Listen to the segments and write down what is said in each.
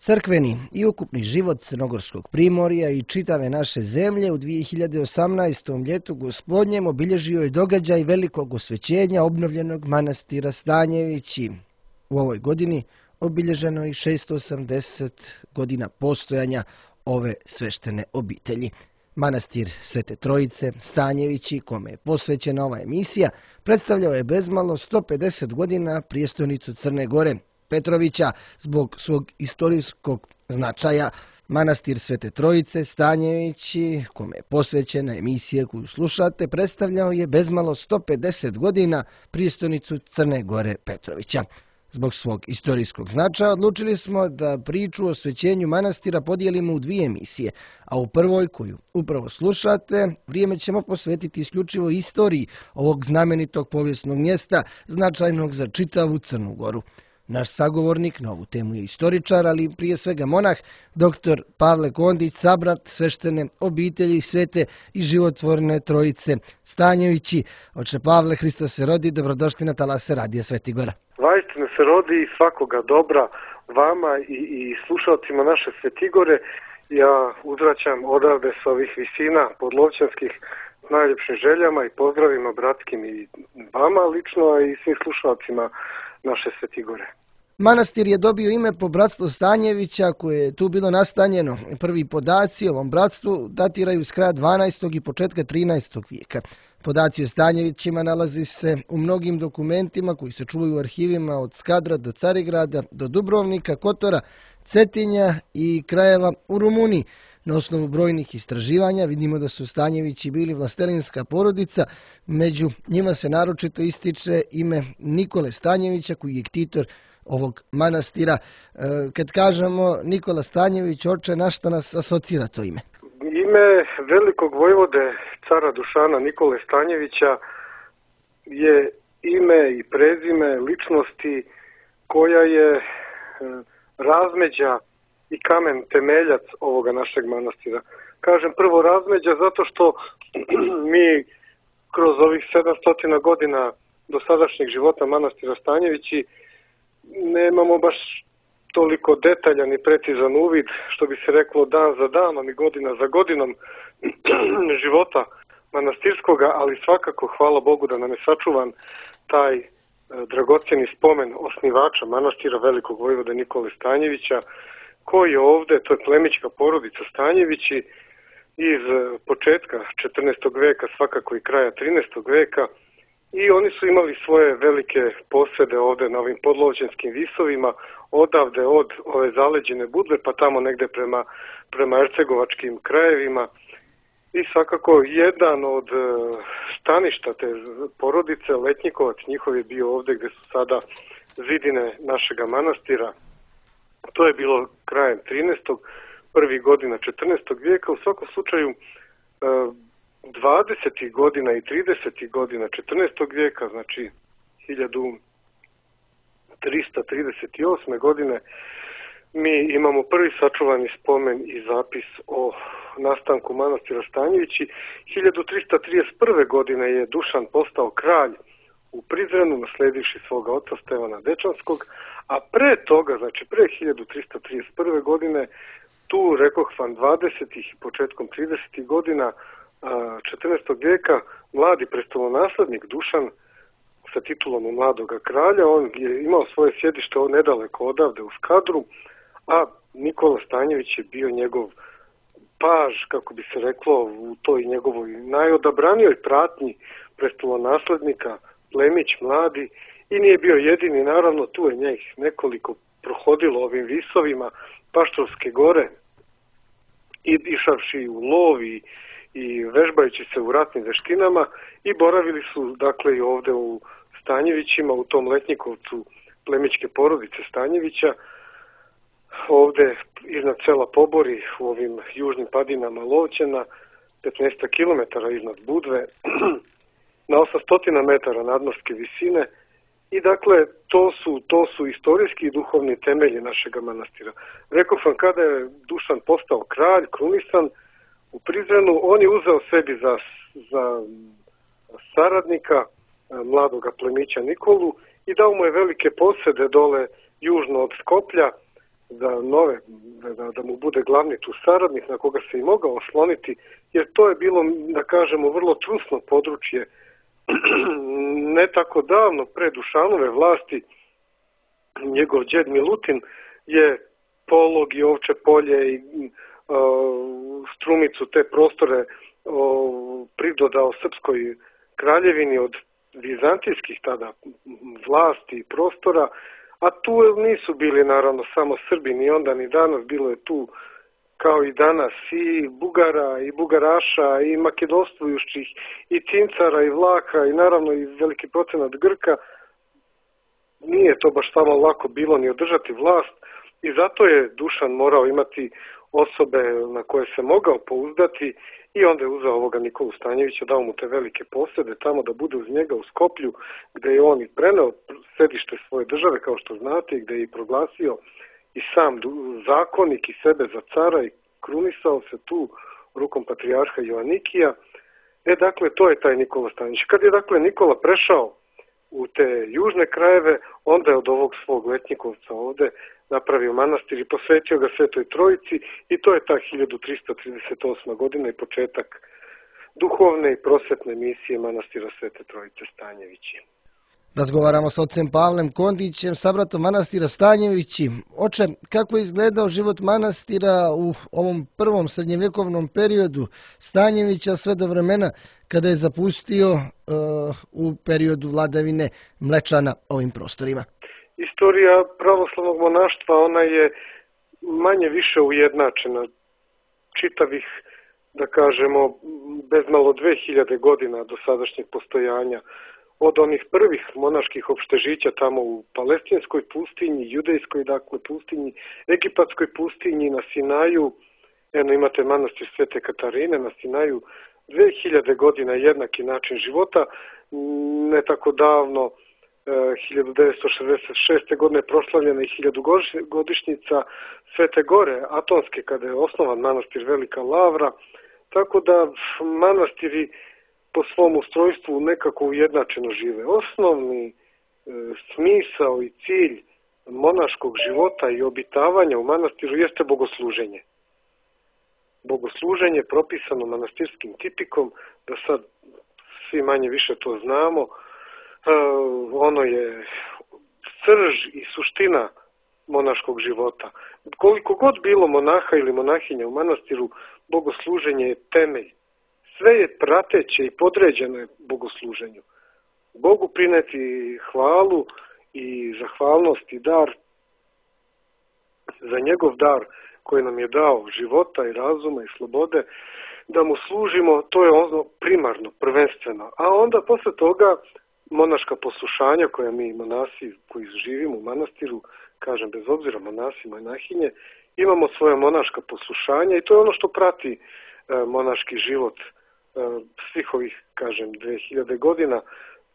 Crkveni i ukupni život Crnogorskog primorja i čitave naše zemlje u 2018. ljetu gospodnjem obilježio je događaj velikog osvećenja obnovljenog manastira Stanjevići. U ovoj godini obilježeno je 680 godina postojanja ove sveštene obitelji. Manastir Svete Trojice Stanjevići, kome je posvećena ova emisija, predstavljao je bezmalo 150 godina prijestolnicu Crne Gore, Petrovića. Zbog svog istorijskog značaja, manastir Svete Trojice Stanjevići, kome je posvećena emisija koju slušate, predstavljao je bezmalo 150 godina prijestolnicu Crne Gore Petrovića. Zbog svog istorijskog značaja odlučili smo da priču o osvećenju manastira podijelimo u dvije emisije, a u prvoj, koju upravo slušate, vrijeme ćemo posvetiti isključivo istoriji ovog znamenitog povijesnog mjesta, značajnog za čitavu Crnu Goru. Naš sagovornik na ovu temu je istoričar, ali prije svega monah, dr. Pavle Kondić, sabrat sveštene obitelji Svete i životvorne Trojice Stanjevići. Oče Pavle, Hristos se rodi, dobrodošli na talase Radija Sveti Gora. Vaistinu se rodi i svakoga dobra vama i slušalcima naše Svetigore. Ja uzvraćam odavde s ovih visina podlovčanskih najljepšim željama i pozdravima bratskim i vama lično, a i svim slušalcima naše Svetigore. Manastir je dobio ime po bratstvu Stanjevića, koje je tu bilo nastanjeno. Prvi podaci o ovom bratstvu datiraju s kraja 12. i početka 13. vijeka. Podaci o Stanjevićima nalazi se u mnogim dokumentima koji se čuvaju u arhivima od Skadra do Carigrada, do Dubrovnika, Kotora, Cetinja i krajeva u Rumuniji. Na osnovu brojnih istraživanja vidimo da su Stanjevići bili vlastelinska porodica, među njima se naročito ističe ime Nikole Stanjevića, koji je ktitor ovog manastira. Kad kažemo Nikola Stanjević, oče, na šta nas asocira to ime? Ime velikog vojvode cara Dušana Nikole Stanjevića je ime i prezime ličnosti koja je razmeđa i kamen temeljac ovoga našeg manastira. Kažem prvo razmeđa zato što mi kroz ovih 700 godina dosadašnjeg života manastira Stanjevići nemamo baš toliko detaljan i precizan uvid, što bi se reklo dan za danom i godina za godinom života manastirskoga, ali svakako hvala Bogu da nam je sačuvan taj dragocjeni spomen osnivača manastira velikog vojvoda Nikole Stanjevića, koji je ovde, to je plemićka porodica Stanjevići iz početka 14. veka, svakako i kraja 13. veka, i oni su imali svoje velike posede ovde na ovim podlovčanskim visovima, odavde od ove zaleđene Budve pa tamo negde prema ercegovačkim krajevima. I svakako jedan od staništa te porodice, Letnjikovac njihov, je bio ovde gde su sada zidine našega manastira. To je bilo krajem 13. prvih godina 14. vijeka. U svakom slučaju 20. godina i 30. godina 14. vijeka, znači 1338. godine, mi imamo prvi sačuvani spomen i zapis o nastanku manastira Stanjevići. 1331. godine je Dušan postao kralj u Prizrenu, nasledivši svoga oca Stevana Dečanskog, a pre toga, znači pre 1331. godine, tu rekoh vam 20. i početkom 30. godina 14. vijeka, mladi prestolonaslednik Dušan sa titulom mladoga kralja, on je imao svoje sjedište nedaleko odavde u Skadru, a Nikola Stanjević je bio njegov paž, kako bi se reklo, u toj njegovoj najodabranijoj pratnji prestolonaslednika, plemić mladi, i nije bio jedini, naravno tu je njih nekoliko prohodilo ovim visovima Paštorske gore i išavši u lov i vežbajući se u ratnim veštinama, i boravili su dakle i ovde u Stanjevićima, u tom Letnjikovcu plemićke porodice Stanjevića, ovde iznad sela Pobori, u ovim južnim padinama Lovćena, 15 km iznad Budve, na 800 metara nadmorske visine. I dakle, to su istorijski i duhovni temelji našega manastira. Rekao sam, kada je Dušan postao kralj, krunisan u Prizrenu, on je uzeo sebi za saradnika mladoga plemića Nikolu i dao mu je velike posede dole južno od Skoplja, za nove, da mu bude glavni tu saradnik na koga se i mogao osloniti, jer to je bilo, da kažemo, vrlo trusno područje ne tako davno pre Dušanove vlasti. Njegov džed Milutin je Polog i Ovče polje i Strumicu, te prostore pridodao Srpskoj kraljevini od vizantijskih tada vlasti i prostora, a tu nisu bili naravno samo Srbi, ni onda ni danas, bilo je tu kao i danas i Bugara i Bugaraša i makedonstvujućih i Cincara i Vlaha i naravno i veliki procenat Grka. Nije to baš samo lako bilo ni održati vlast i zato je Dušan morao imati osobe na koje se mogao pouzdati i onda je uzeo ovoga Nikolu Stanjevića, dao mu te velike posede tamo da bude uz njega u Skoplju, gde je on i preneo sedište svoje države, kao što znate, i gde je i proglasio i sam zakonik i sebe za cara i krunisao se tu rukom patrijarha Joanikija. Dakle, to je taj Nikola Stanjević. Kad je, dakle, Nikola prešao u te južne krajeve, onda je od ovog svog Letnjikovca ovde napravio manastir i posvetio ga Svetoj Trojici i to je ta 1338. godina i početak duhovne i prosvetne misije manastira Svete Trojice Stanjevići. Razgovaramo s ocem Pavlem Kondićem, sabratom manastira Stanjevići. Oče, kako je izgledao život manastira u ovom prvom srednjevjekovnom periodu Stanjevića sve do vremena kada je zapustio u periodu vladavine Mlečana ovim prostorima? Istorija pravoslavnog monaštva, ona je manje više ujednačena. Čitavih, da kažemo, bezmalo 2000 godina do sadašnjeg postojanja. Od onih prvih monaških opštežića tamo u Palestinskoj pustinji, Judejskoj, dakle, pustinji, Egipatskoj pustinji, na Sinaju, imate manastir Svete Katarine na Sinaju, 2000 godina jednaki način života, ne tako davno, 1966. godine proslavljena i 1000-godišnjica Svete Gore Atonske, kada je osnovan manastir Velika Lavra, tako da manastiri po svom ustrojstvu nekako ujednačeno žive. Osnovni smisao i cilj monaškog života i obitavanja u manastiru jeste bogosluženje. Bogosluženje propisano manastirskim tipikom, da sad svi manje više to znamo, ono je srž i suština monaškog života. Koliko god bilo monaha ili monahinja u manastiru, bogosluženje je temelj. Sve je prateće i podređeno bogosluženju. Bogu prineti hvalu i zahvalnost i dar za njegov dar koji nam je dao života i razuma i slobode, da mu služimo, to je ono primarno, prvenstveno. A onda posle toga monaška poslušanja koja mi monasi koji živimo u manastiru, kažem bez obzira monasi, monahinje, imamo svoje monaška poslušanja i to je ono što prati monaški život svih ovih, kažem, 2000 godina.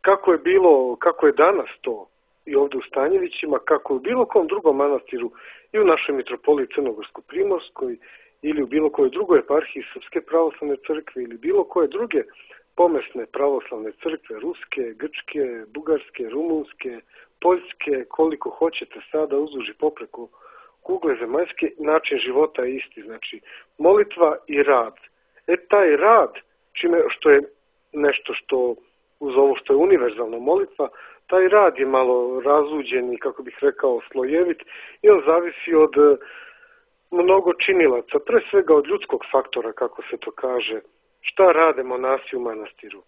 Kako je bilo, kako je danas to i ovdje u Stanjevićima, kako je u bilo kom drugom manastiru i u našoj mitropoliji Crnogorsko-Primorskoj ili u bilo kojoj drugoj eparhiji Srpske pravoslavne crkve ili bilo koje druge pomesne pravoslavne crkve, ruske, grčke, bugarske, rumunske, poljske, koliko hoćete sada uzduž i popreko kugle zemaljske, način života je isti. Znači, molitva i rad. Taj rad, što je nešto što uz ovo što je univerzalna molitva, taj rad je malo razuđen i, kako bih rekao, slojevit i on zavisi od mnogo činilaca, pre svega od ljudskog faktora, kako se to kaže. Šta rade monasi u manastiru?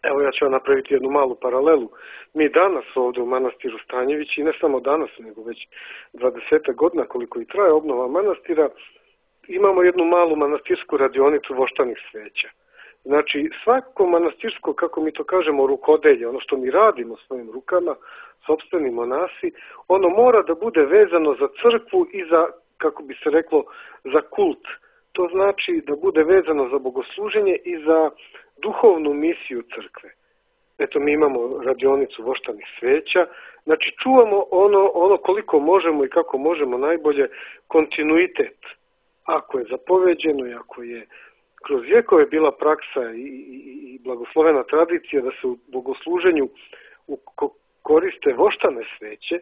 Evo, ja ću vam napraviti jednu malu paralelu. Mi danas ovdje u manastiru Stanjevići, i ne samo danas, nego već 20 godina koliko i traje obnova manastira, imamo jednu malu manastirsku radionicu voštanih sveća. Znači, svako manastirsko, kako mi to kažemo, rukodelje, ono što mi radimo svojim rukama, sopstveni monasi, ono mora da bude vezano za crkvu i za, kako bi se reklo, za kult. To znači da bude vezano za bogosluženje i za duhovnu misiju crkve. Eto, mi imamo radionicu voštanih sveća, znači čuvamo ono koliko možemo i kako možemo najbolje kontinuitet. Ako je zapoveđeno i ako je kroz vjekove bila praksa i blagoslovena tradicija da se u bogosluženju koriste voštane sveće,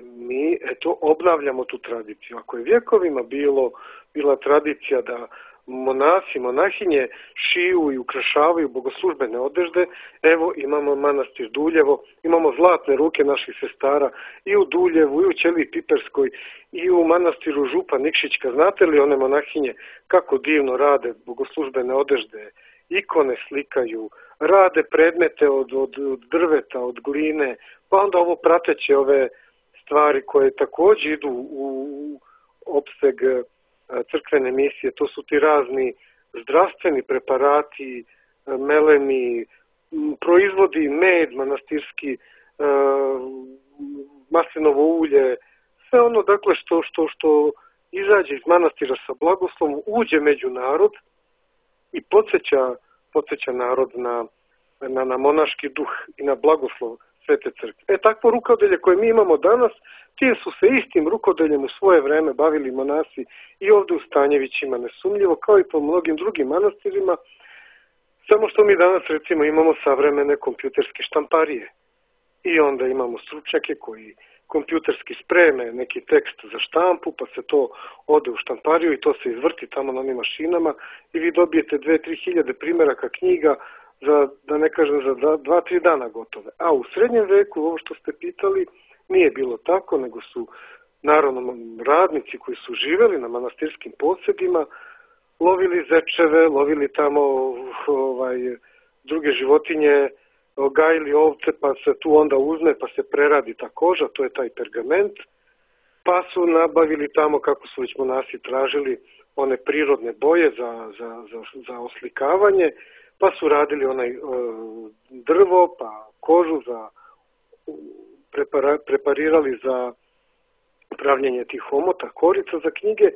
Mi obnavljamo tu tradiciju. Ako je vjekovima bila tradicija da monasi, monahinje šiju i ukrašavaju bogoslužbene odežde, evo imamo manastir Duljevo, imamo zlatne ruke naših sestara i u Duljevu, i u Ćeliji Piperskoj, i u manastiru Župa Nikšićka. Znate li one monahinje kako divno rade bogoslužbene odežde, ikone slikaju, rade predmete od drveta, od gline, pa onda ovo prateće ove stvari koje također idu u opseg crkvene misije. To su ti razni zdravstveni preparati, melemi, proizvodi med manastirski, maslinovo ulje, sve ono dakle što izađe iz manastira sa blagoslovom, uđe među narod i podsjeća narod na monaški duh i na blagoslov Svete crkve. Takvo rukodelje koje mi imamo danas, tim su se istim rukodeljem u svoje vreme bavili monasi i ovdje u Stanjevićima, nesumnjivo, kao i po mnogim drugim manastirima, samo što mi danas recimo imamo savremene kompjuterske štamparije i onda imamo stručnjake koji kompjuterski spreme neki tekst za štampu, pa se to ode u štampariju i to se izvrti tamo na onim mašinama i vi dobijete 2-3 hiljade primjeraka knjiga za, da ne kažem, za 2-3 dana gotove. A u srednjem veku, ovo što ste pitali, nije bilo tako, nego su naravno radnici koji su živjeli na manastirskim posjedima, lovili zečeve, lovili tamo druge životinje, gajili ovce, pa se tu onda uzme, pa se preradi ta koža, to je taj pergament, pa su nabavili tamo, kako su već monasi tražili, one prirodne boje za oslikavanje, pa su radili onaj drvo, pa kožu preparirali za pravljenje tih omota, korica za knjige,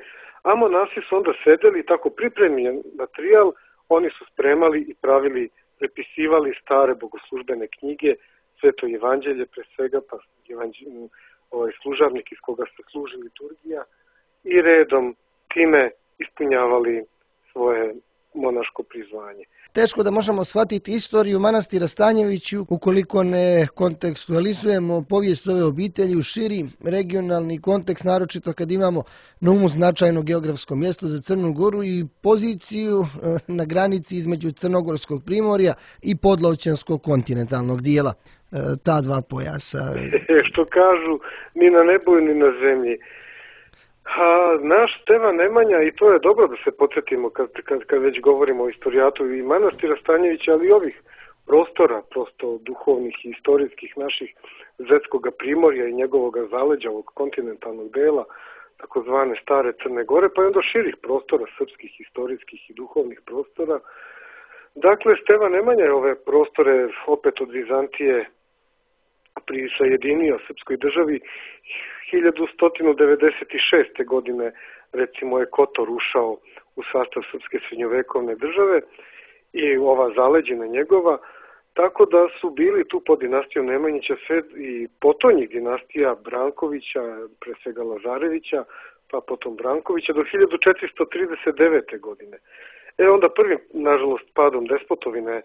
a monasi su onda sedeli tako pripremljen materijal, oni su spremali i pravili, prepisivali stare bogoslužbene knjige, Sveto evanđelje pre svega, pa služavnik iz koga se služi liturgija i redom time ispunjavali svoje monaško prizvanje. Teško da možemo shvatiti istoriju manastira Stanjeviću ukoliko ne kontekstualizujemo povijest ove obitelji u širi regionalni kontekst, naročito kad imamo na umu značajno geografsko mjesto za Crnu Goru i poziciju na granici između Crnogorskog primorja i Podlavčanskog kontinentalnog dijela. Ta dva pojasa. Što kažu, ni na nebu ni na zemlji. Naš Stevan Nemanja, i to je dobro da se podsjetimo kad već govorimo o istorijatu i manastira Stanjevića, ali i ovih prostora, prosto duhovnih i istorijskih naših Zetskoga primorja i njegovog zaleđa, ovog kontinentalnog dela, takozvane stare Crne Gore, pa i onda širih prostora, srpskih, historijskih i duhovnih prostora. Dakle, Stevan Nemanja je ove prostore opet od Vizantije prisajedinio srpskoj državi 1196. godine, recimo je Kotor ušao u sastav srpske srednjovekovne države i ova zaleđina njegova, tako da su bili tu pod dinastijom Nemanjića sve i potonjih dinastija Brankovića, pre svega Lazarevića, pa potom Brankovića do 1439. godine. Onda prvim, nažalost, padom Despotovine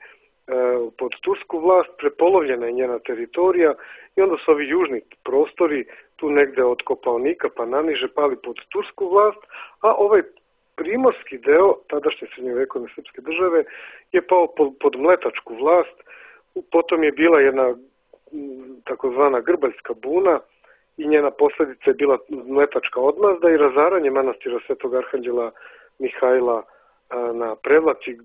pod tursku vlast, prepolovljena je njena teritorija i onda su ovi južni prostori, tu negde od Kopaonika pa naniže, pali pod tursku vlast, a ovaj primorski deo tadašnje srednjovekovne srpske države je pao pod mletačku vlast. Potom je bila jedna takozvana grbaljska buna i njena posljedica je bila mletačka odmazda i razaranje manastira Svetog Arhanđela Mihajla na Prevlaci,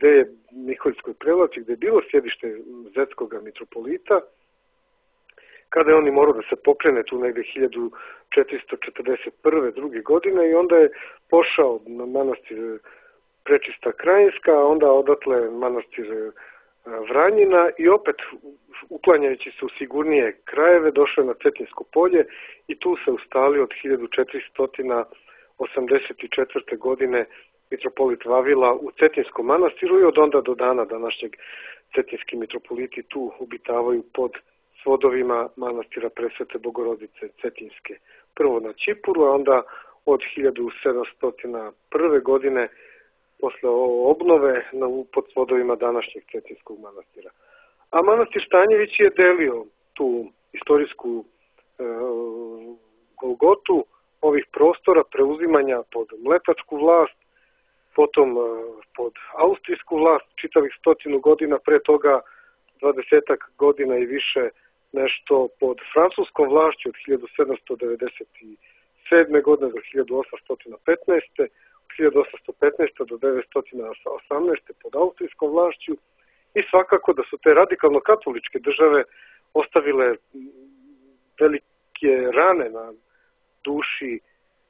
Miholjskoj Prevlaci, gdje je bilo sjedište Zetskoga mitropolita, kada je on morao da se pokrene tu negdje 1441. druge godine i onda je pošao na manastir Prečista Krajinska, a onda odatle manastir Vranjina i opet uklanjajući se u sigurnije krajeve došao je na Cetinsko polje i tu se ustalio od 1484. godine mitropolit Vavila u Cetinskom manastiru i od onda do dana današnjeg cetinski mitropoliti tu obitavaju pod svodovima manastira Presvete Bogorodice Cetinske. Prvo na Čipuru, a onda od 1701. godine posle obnove pod svodovima današnjeg Cetinskog manastira. A manastir Stanjević je delio tu istorijsku golgotu ovih prostora preuzimanja pod mletačku vlast, potom pod austrijsku vlast, čitavih 100 godina, pre toga 20 godina i više nešto pod francuskom vlašću od 1797. godine do 1815. Od 1815. do 1918. pod austrijskom vlašću i svakako da su te radikalno katoličke države ostavile velike rane na duši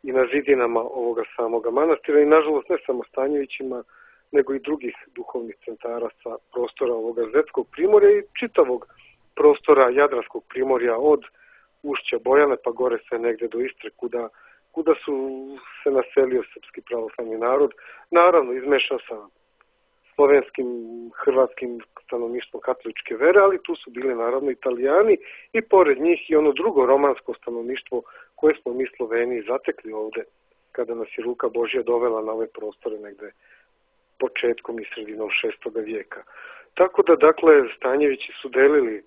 i na zidinama ovoga samoga manastira i nažalost ne samo Stanjevićima, nego i drugih duhovnih centara sa prostora ovoga Zetskog primorja i čitavog prostora Jadranskog primorja od ušća Bojane pa gore sve negde do Istre kuda su se naselio srpski pravoslavni narod, naravno izmešao sa slovenskim, hrvatskim stanovništvom katoličke vere, ali tu su bili naravno Italijani i pored njih i ono drugo romansko stanovništvo koje smo mi Sloveni zatekli ovde kada nas je ruka Božja dovela na ove prostore negde početkom i sredinom 6. vijeka. Tako da, dakle, Stanjevići su delili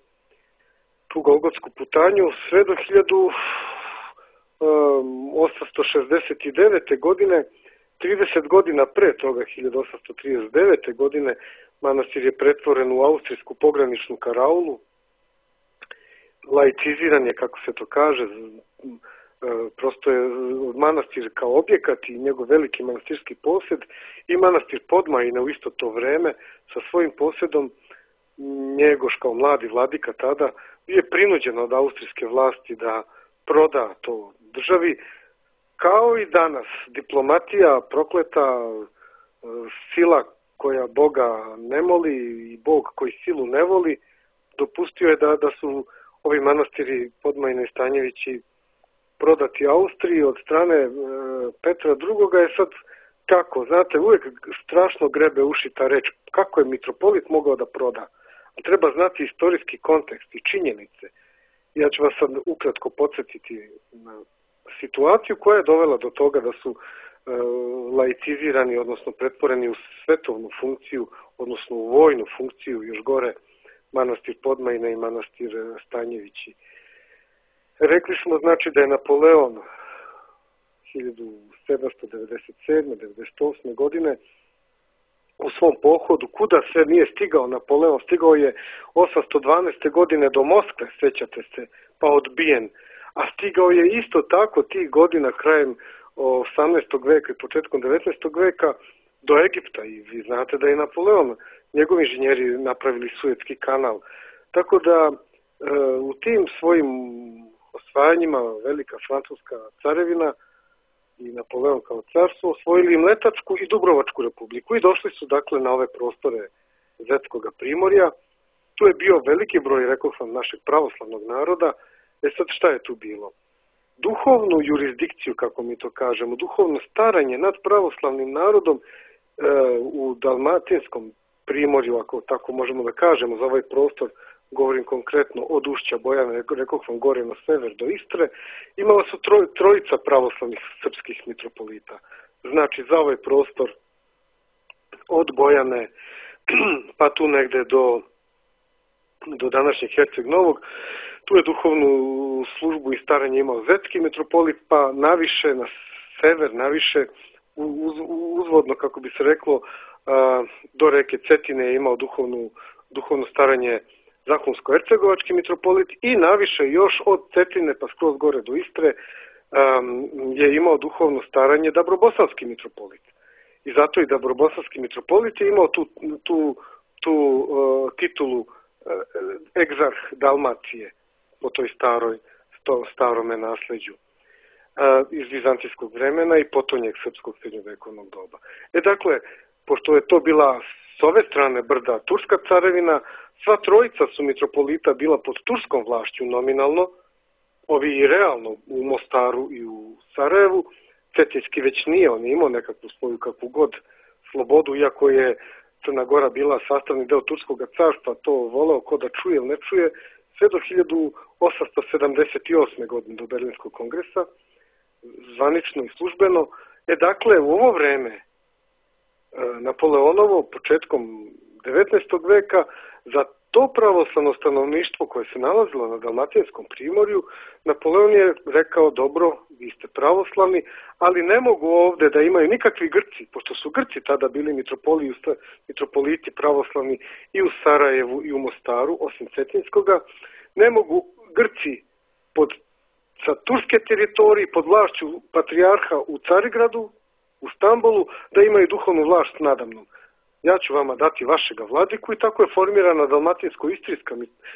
tu golgotsku putanju sve do 1869. godine, 30 godina pre toga, 1839. godine, manastir je pretvoren u austrijsku pograničnu karaulu, laiciziran je, kako se to kaže, prosto je manastir kao objekat i njegov veliki manastirski posjed i manastir Podmajine u isto to vreme sa svojim posjedom. Njegoš kao mladi vladika tada je prinuđen od austrijske vlasti da proda to državi, kao i danas diplomatija prokleta, sila koja Boga ne moli i Bog koji silu ne voli, dopustio je da su ovi manastiri Podmajine i Stanjevići prodati Austriji od strane Petra II. Je sad kako, znate, uvijek strašno grebe uši ta reč, kako je mitropolit mogao da proda. Treba znati istorijski kontekst i činjenice. Ja ću vas sad ukratko podsjetiti na situaciju koja je dovela do toga da su laicizirani, odnosno pretvoreni u svetovnu funkciju, odnosno u vojnu funkciju, još gore manastir Podmajine i manastir Stanjevići. Rekli smo znači da je Napoleon 1797-98. godine u svom pohodu, kuda sve nije stigao Napoleon, stigao je 812. godine do Moskve, sećate se, pa odbijen, a stigao je isto tako tih godina krajem 18. veka i početkom 19. veka do Egipta i vi znate da je Napoleon, njegovi inženjeri napravili Suetski kanal. Tako da u tim svojim osvajanjima velika francuska carevina i Napoleon kao car su osvojili Mletačku i Dubrovačku republiku i došli su dakle na ove prostore Zetskog primorja. Tu je bio veliki broj, rekao sam, našeg pravoslavnog naroda. Sad šta je tu bilo? Duhovnu jurisdikciju, kako mi to kažemo, duhovno staranje nad pravoslavnim narodom u Dalmatinskom primorju, ako tako možemo da kažemo, za ovaj prostor, govorim konkretno od ušća Bojane, rekao sam gore na sever do Istre, imala su trojica pravoslavnih srpskih mitropolita. Znači za ovaj prostor od Bojane pa tu negde do današnjeg Herceg Novog, tu je duhovnu službu i staranje imao Zetski mitropolit, pa naviše na sever, naviše uzvodno, kako bi se reklo, do reke Cetine je imao duhovno staranje Zahumsko-Hercegovački mitropolit i naviše još od Cetine pa skroz gore do Istre je imao duhovno staranje Dabrobosanski mitropolit. I zato i Dabrobosanski mitropolit je imao tu titulu egzarh Dalmacije po toj starome nasleđu iz vizantijskog vremena i potonjeg srpskog srednjovekovnog doba. Dakle, pošto je to bila s ove strane brda turska carevina, sva trojica su mitropolita bila pod turskom vlašću nominalno, ovi i realno u Mostaru i u Sarajevu. Cetinski već nije, on je imao nekakvu svoju kakvu god slobodu, iako je Crna Gora bila sastavni deo turskog carstva, to voleo ko da čuje ili ne čuje, sve do 1878. godine do Berlinskog kongresa, zvanično i službeno. Dakle, u ovo vreme Napoleonovo, početkom 19. veka, za to pravoslavno stanovništvo koje se nalazilo na Dalmatinskom primorju, Napoleon je rekao, dobro, vi ste pravoslavni, ali ne mogu ovde da imaju nikakvi Grci, pošto su Grci tada bili mitropoliti pravoslavni i u Sarajevu i u Mostaru, osim Cetinskoga, ne mogu Grci sa turske teritorije pod vlašću patrijarha u Carigradu, u Stambolu, da imaju duhovnu vlast nadamnom. Ja ću vama dati vašega vladiku i tako je formirana Dalmatinsko-istrijska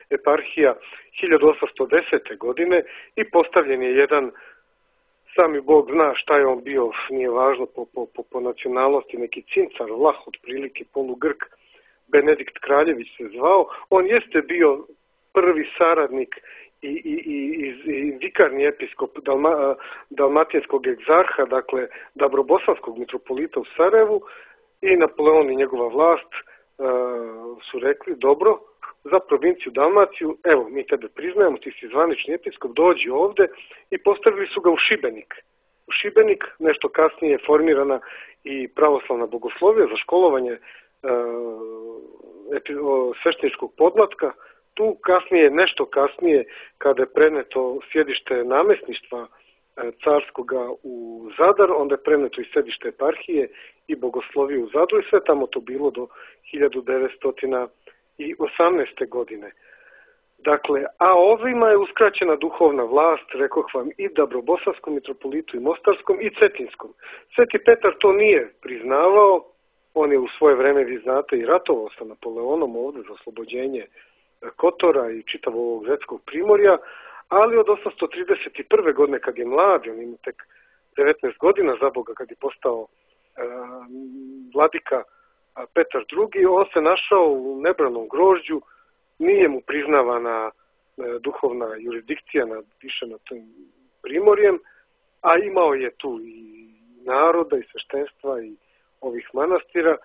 eparhija 1810. godine i postavljen je jedan, sami Bog zna šta je on bio, nije važno po nacionalnosti, neki cincar, Vlah, otprilike polugrk, Benedikt Kraljević se zvao. On jeste bio prvi saradnik i vikarni episkop dalmatinskog egzarha, dakle Dabrobosanskog mitropolita u Sarajevu, i Napoleon i njegova vlast su rekli, dobro, za provinciju Dalmaciju, evo, mi tebe priznajemo, ti si zvanični episkop, dođi ovde, i postavili su ga u Šibenik. U Šibenik, nešto kasnije je formirana i pravoslavna bogoslovija za školovanje svešteničkog podmlatka. Tu kasnije, nešto kasnije, kada je preneto sjedište namesništva carskoga u Zadar, onda je preneto i sedište eparhije i bogoslovije u Zadru i sve tamo to bilo do 1918. godine. Dakle, a ovima je uskraćena duhovna vlast, rekoh vam, i Dabrobosanskom mitropolitu i Mostarskom i Cetinskom. Sveti Petar to nije priznavao, on je u svoje vreme, vi znate, i ratovao sa Napoleonom ovde za oslobođenje Kotora i čitavog ovog Zetskog primorja, ali od 831. godine, kad je mlad, on ima tek 19 godina za Boga, kad je postao vladika Petar II, on se našao u nebranom grožđu, nije mu priznavana duhovna jurisdikcija više nad tim primorjem, a imao je tu i naroda i sveštenstva i ovih manastira.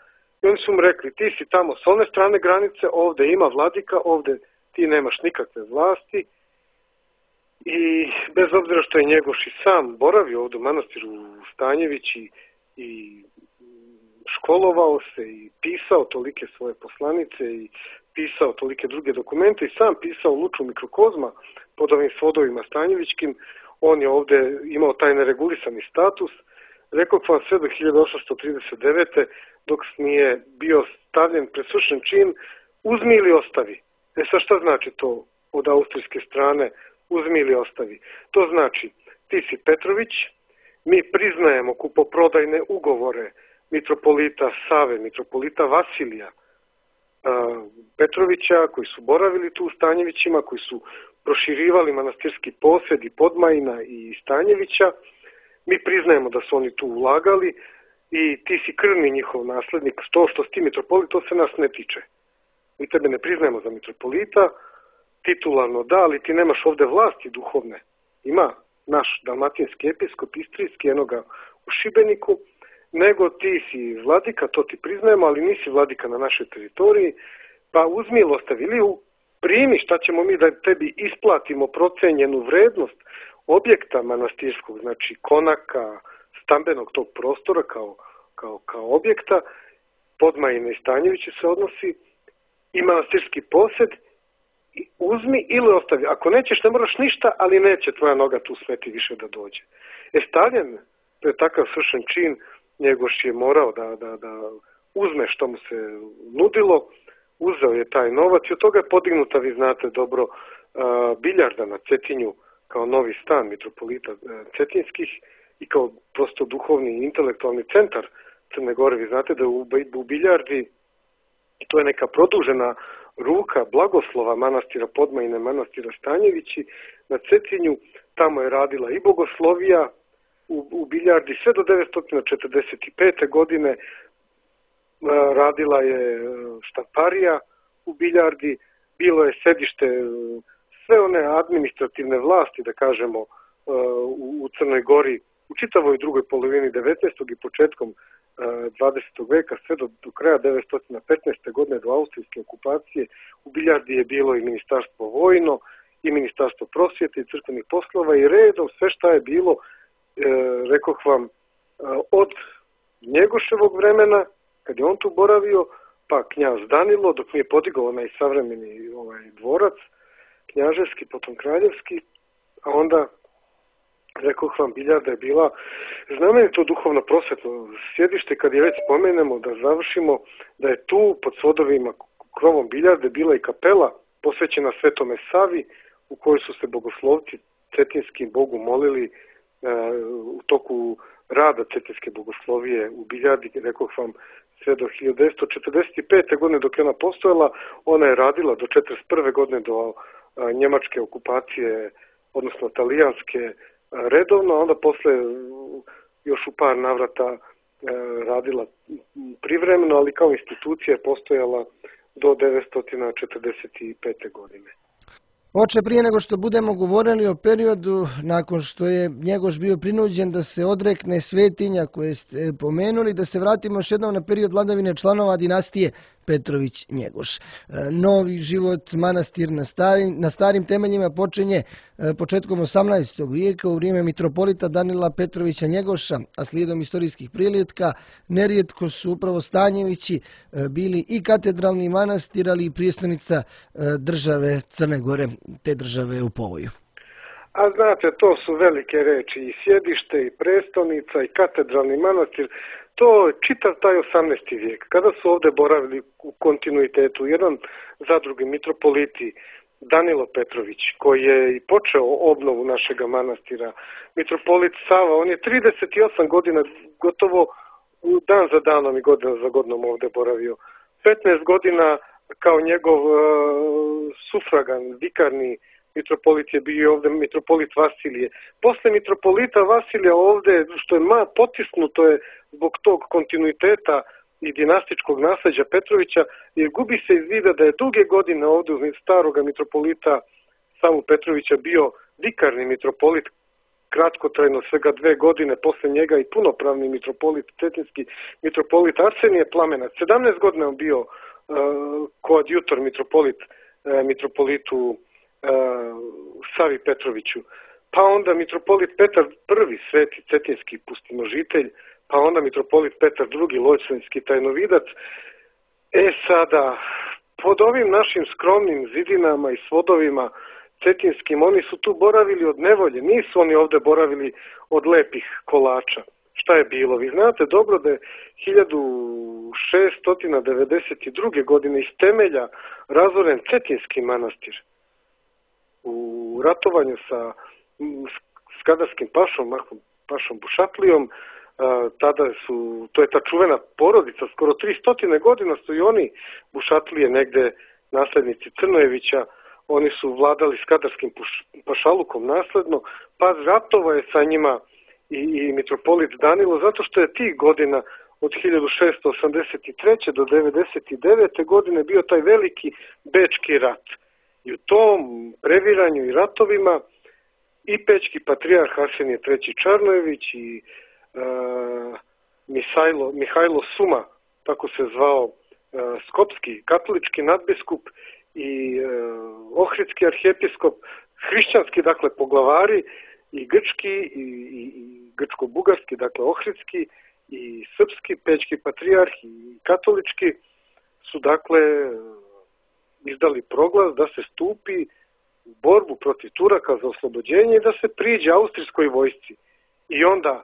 I oni su mu rekli, ti si tamo s one strane granice, ovde ima vladika, ovde ti nemaš nikakve vlasti. I bez obzira što je Njegoš i sam boravio ovdje u manastiru u Stanjevići i školovao se i pisao tolike svoje poslanice i pisao tolike druge dokumente i sam pisao Luču mikrokozma pod ovim svodovima Stanjevićkim, on je ovdje imao taj neregulisani status. Rekao vam sve do 1839. dok nije bio stavljen pred svršen čin, uzmi ili ostavi. Sad šta znači to od austrijske strane? Uzmi ili ostavi. To znači, ti si Petrović, mi priznajemo kupoprodajne ugovore mitropolita Save, mitropolita Vasilija Petrovića, koji su boravili tu u Stanjevićima, koji su proširivali manastirski posjed i Podmajina i Stanjevića. Mi priznajemo da su oni tu ulagali i ti si krvni njihov naslednik. To što si ti mitropolit, to se nas ne tiče. Mi tebe ne priznajemo za mitropolita, titularno da, ali ti nemaš ovde vlasti duhovne. Ima naš dalmatinski episkop, istrijski, enoga u Šibeniku, nego ti si vladika, to ti priznajemo, ali nisi vladika na našoj teritoriji, pa uzmi ili ostavi, ili primi, šta ćemo mi da tebi isplatimo procenjenu vrednost objekta manastirskog, znači konaka, stambenog tog prostora kao objekta, Podmajine i Stanjevići se odnosi, i manastirski posjed, uzmi ili ostavi. Ako nećeš, ne moraš ništa, ali neće tvoja noga tu smeti više da dođe. Stavljen, to je takav svršen čin, Njegoš je morao da uzme što mu se nudilo, uzeo je taj novac i od toga je podignuta, vi znate dobro, biljarda na Cetinju kao novi stan mitropolita Cetinskih i kao prosto duhovni i intelektualni centar Crne Gore. Vi znate da u biljardi, to je neka produžena ruka blagoslova manastira Podmajine, manastira Stanjevići na Cetinju. Tamo je radila i bogoslovija u biljardi sve do 1945. godine. Radila je štamparija u biljardi, bilo je sedište sve one administrativne vlasti, da kažemo, u Crnoj Gori u čitavoj drugoj polovini 19. i početkom 20. veka, sve do kraja 1915. godine, do austrijske okupacije. U biljardi je bilo i ministarstvo vojno, i ministarstvo prosvjete i crkvenih poslova i redom sve šta je bilo, rekoh vam, od Njegoševog vremena, kad je on tu boravio, pa knjaz Danilo, dok nije podigao onaj savremeni dvorac, knjaževski, potom kraljevski, a onda, rekoh vam, Biljarda je bila znamenito duhovno prosvetno sjedište. Kad je već spomenemo da završimo, da je tu pod svodovima krovom Biljarde bila i kapela posvećena Svetome Savi, u kojoj su se bogoslovci Cetinjskim Bogu molili u toku rada Cetinjske bogoslovije u Biljardi, rekoh vam, sve do 1945. godine dok je ona postojala. Ona je radila do 1941. godine, do njemačke okupacije, odnosno talijanske, redovno, a onda posle još u par navrata radila privremeno, ali kao institucija je postojala do 1945. godine. Oče, prije nego što budemo govorili o periodu nakon što je Njegoš bio prinuđen da se odrekne svetinja koje ste pomenuli, da se vratimo još jednom na period vladavine članova dinastije Petrović-Njegoš. Novi život manastir na starim temeljima počinje početkom 18. vijeka u vrijeme mitropolita Danila Petrovića Njegoša, a slijedom istorijskih prilijetka nerijetko su upravo Stanjevići bili i katedralni manastir, ali i prijestolnica države Crne Gore, te države u povoju. A znate, to su velike reči, i sjedište, i prestolnica, i katedralni manastir. To je čitav taj 18. vijek, kada su ovdje boravili u kontinuitetu jedan za drugim mitropoliti, Danilo Petrović, koji je i počeo obnovu našega manastira, mitropolit Sava, on je 38 godina gotovo dan za danom i godina za godinom ovdje boravio. 15 godina kao njegov sufragan, vikarni mitropolit je bio ovdje mitropolit Vasilije. Posle mitropolita Vasilija ovdje, što je potisnuto je zbog tog kontinuiteta i dinastičkog nasljeđa Petrovića, jer gubi se iz vida da je duge godine ovdje uz staroga mitropolita Savu Petrovića bio vikarni mitropolit, kratkotrajno svega 2 godine, posle njega i punopravni mitropolit, cetinski mitropolit Arsenije Plamenac. 17 godina on bio koadjutor mitropolitu Savi Petroviću, pa onda mitropolit Petar I, sveti cetinski pustinožitelj, pa onda mitropolit Petar II, Lojčanski tajnovidac. Sada, pod ovim našim skromnim zidinama i svodovima cetinskim, oni su tu boravili od nevolje, nisu oni ovdje boravili od lepih kolača. Šta je bilo? Vi znate dobro da je 1692. godine iz temelja razoren Cetinski manastir. U ratovanju sa skadarskim pašom Bušatlijom, to je ta čuvena porodica, skoro 300 godina su i oni Bušatlije, negde naslednici Crnojevića, oni su vladali skadarskim pašalukom nasledno, pa ratova je sa njima i mitropolit Danilo, zato što je tih godina od 1683. do 99. godine bio taj veliki Bečki rat. I u tom previranju i ratovima i Pećki patrijarh Arsenije III. Čarnojević i Mihajlo Suma, tako se zvao skopski katolički nadbiskup, i ohridski arhijepiskop, hrišćanski, dakle, poglavari, i grčki i grčko-bugarski, dakle, ohridski i srpski, pećki patrijarh i katolički su, dakle, izdali proglas da se stupi u borbu protiv Turaka za oslobođenje i da se priđe austrijskoj vojsci. I onda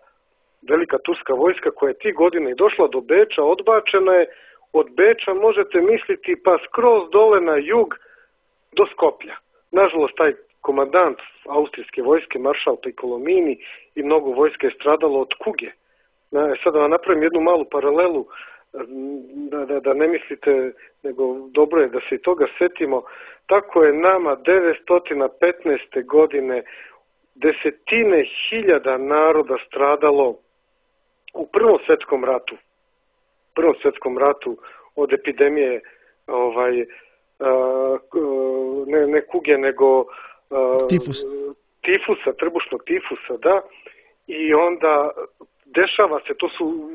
velika turska vojska koja je tih godina i došla do Beča, odbačena je. Od Beča možete misliti pa skroz dole na jug do Skoplja. Nažalost, taj komandant austrijske vojske, maršal Piccolomini, i mnogo vojske je stradalo od kuge. Sada vam napravim jednu malu paralelu, da ne mislite, nego dobro je da se i toga setimo. Tako je nama 915. godine desetine hiljada naroda stradalo u Prvom svjetskom ratu od epidemije ne kuge, nego tifusa, trbušnog tifusa, da. I onda dešava se, to su,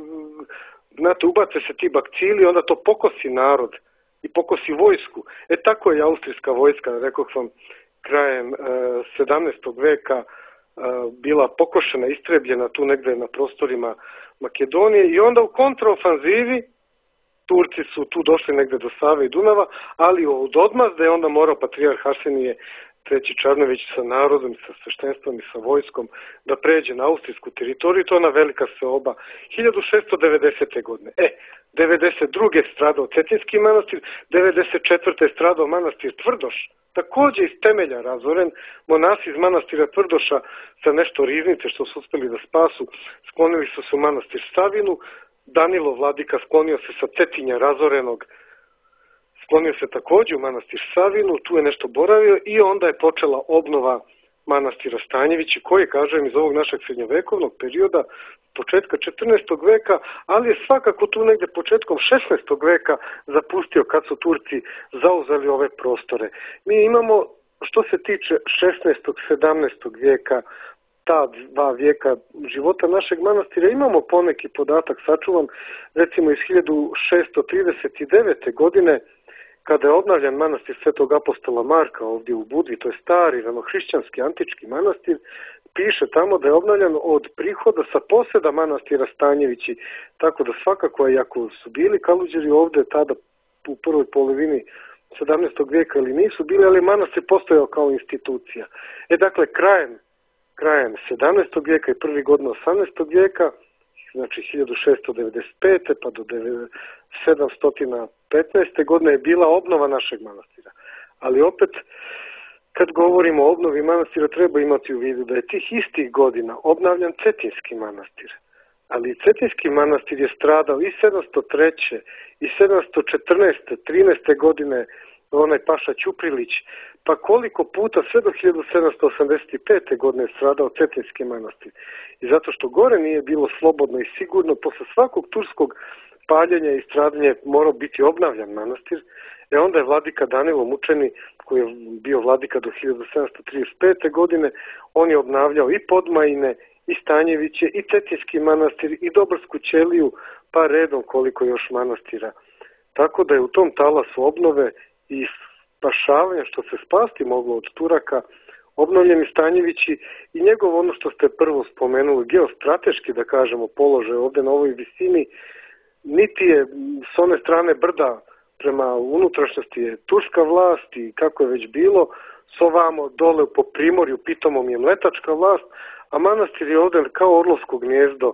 znate, ubace se ti bakcili, onda to pokosi narod i pokosi vojsku. Tako je austrijska vojska, rekoh vam, krajem 17. veka bila pokošena, istrebljena tu negde na prostorima Makedonije, i onda u kontraofanzivi Turci su tu došli negde do Save i Dunava, ali od odmazda je onda morao patrijarh Arsenije III. Čarnojević sa narodom, sa sveštenstvom i sa vojskom da pređe na austrijsku teritoriju, to je ona velika seoba 1690. godine. 92. je stradao Cetinjski manastir, 94. je stradao manastir Tvrdoš, takođe iz temelja razoren. Monasi iz manastira Tvrdoša sa nešto riznice što su uspeli da spasu, sklonili su se u manastir Savinu. Danilo vladika sklonio se sa Cetinja razorenog, sklonio se takođe u manastir Savinu, tu je nešto boravio i onda je počela obnova manastira Stanjevići, koji, kažem, iz ovog našeg srednjovekovnog perioda, početka 14. veka, ali je svakako tu negde početkom 16. veka zapustio kad su Turci zauzeli ove prostore. Mi imamo, što se tiče 16. 17. vijeka, ta dva vijeka života našeg manastira, imamo poneki podatak sačuvan, recimo iz 1639. godine, kada je obnavljan manastir Svetog apostola Marka ovdje u Budvi, to je stari ranohrišćanski antički manastir, piše tamo da je obnavljan od prihoda sa poseda manastira Stanjevići, tako da svakako, iako su bili Kaluđeri ovdje tada u prvoj polovini 17. vijeka ili nisu bili, ali manastir postojao kao institucija. Dakle, krajem 17. vijeka i prvi godina 18. vijeka, znači 1695. pa do 715. godine je bila obnova našeg manastira. Ali opet, kad govorimo o obnovi manastira, treba imati u vidu da je tih istih godina obnavljan Cetinjski manastir. Ali Cetinjski manastir je stradao i 703. i 714. 13. godine, onaj paša Ćuprilić, pa koliko puta sve do 1785. godine je stradao Cetinjski manastir. I zato što gore nije bilo slobodno i sigurno, posle svakog turskog paljenja i stradanja morao biti obnavljan manastir, onda je vladika Danilo Mučeni, koji je bio vladika do 1735. godine, on je obnavljao i Podmajine, i Stanjeviće, i Cetinjski manastir, i Dobrsku ćeliju, pa redom koliko još manastira. Tako da je u tom talasu obnove i spašavanja, što se spasti moglo od Turaka, obnovljeni Stanjevići i njegov, ono što ste prvo spomenuli, geostrateški, da kažemo, položaj ovde na ovoj visini, niti je s one strane brda prema unutrašnjosti je turska vlast i kako je već bilo, s ovamo dole po primorju pitomom je mletačka vlast, a manastir je ovde kao orlovsko gnjezdo,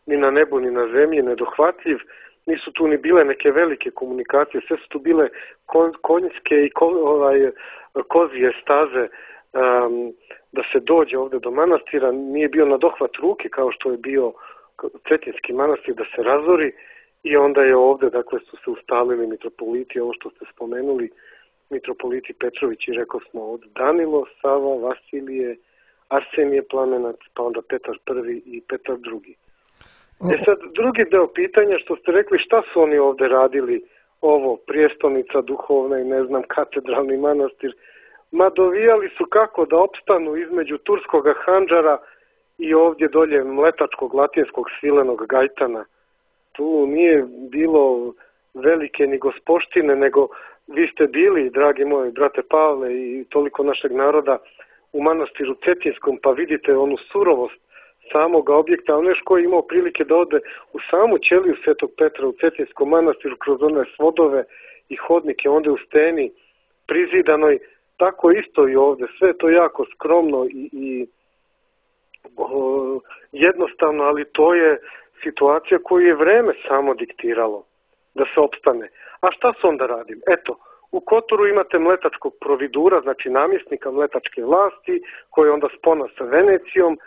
ni na nebu ni na zemlji, nedohvatljiv, nisu tu ni bile neke velike komunikacije, sve su tu bile konjske i kozije staze da se dođe ovde do manastira, nije bio na dohvat ruke kao što je bio Cetinjski manastir da se razori i onda je ovde, dakle, su se ustalili mitropoliti, ovo što ste spomenuli, mitropoliti Petrović i rekao smo od Danilo, Sava, Vasilije, Arsenije Plamenac, pa onda Petar I i Petar II. Sad, drugi deo pitanja što ste rekli, šta su oni ovde radili, ovo, prijestolnica duhovna i ne znam, katedralni manastir, ma dovijali su kako da opstanu između turskog handžara i ovdje dolje mletačkog, latinskog, svilenog gajtana. Tu nije bilo velike ni gospoštine, nego vi ste bili, dragi moji brate Pavle i toliko našeg naroda, u manastiru Cetinjskom, pa vidite onu surovost samog objekta, ono još ko je imao prilike da ode u samu ćeliju Svetog Petra u Cetinjskom manastiru kroz one svodove i hodnike, onda u steni prizidanoj, tako isto i ovde, sve to jako skromno i jednostavno, ali to je situacija koju je vreme samo diktiralo da se opstane. A šta su onda radili? Eto, u Kotoru imate mletačkog providura, znači namjesnika mletačke vlasti, koji onda spona sa Venecijom.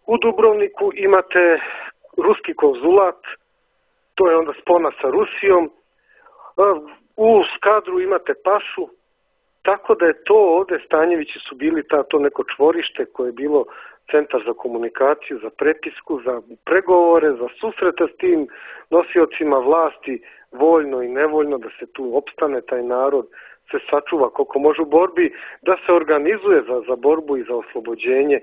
U Dubrovniku imate ruski konzulat, to je onda spona sa Rusijom. U Skadru imate pašu, tako da je to ovde, Stanjevići su bili to neko čvorište koje je bilo centar za komunikaciju, za prepisku, za pregovore, za susrete s tim nosiocima vlasti, voljno i nevoljno, da se tu opstane taj narod, se sačuva koliko može u borbi, da se organizuje za borbu i za oslobođenje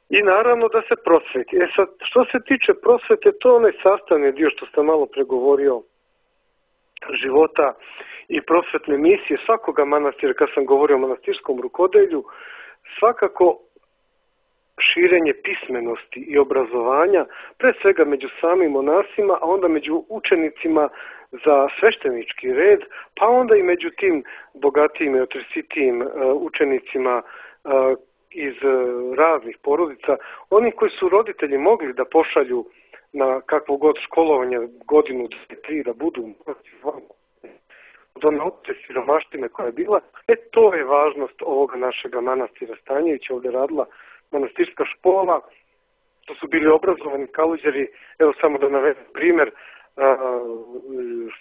i naravno da se prosveti. Sad, što se tiče prosvete, to je onaj sastavni dio što sam malo pregovorio života i prosvetne misije svakoga manastira, kad sam govorio o manastirskom rukodelju, svakako širenje pismenosti i obrazovanja, pre svega među samim monasima, a onda među učenicima za sveštenički red, pa onda i među tim bogatijim i otresitijim učenicima iz raznih porodica, oni koji su roditelji mogli da pošalju na kakvo god školovanje, godinu, 2, 3, da budu od one opće siromaštine koja je bila. To je važnost ovoga našega manastira Stanjevića. Ovdje radila manastirska škola, to su bili obrazovani kaluđeri. Evo samo da navedem primjer,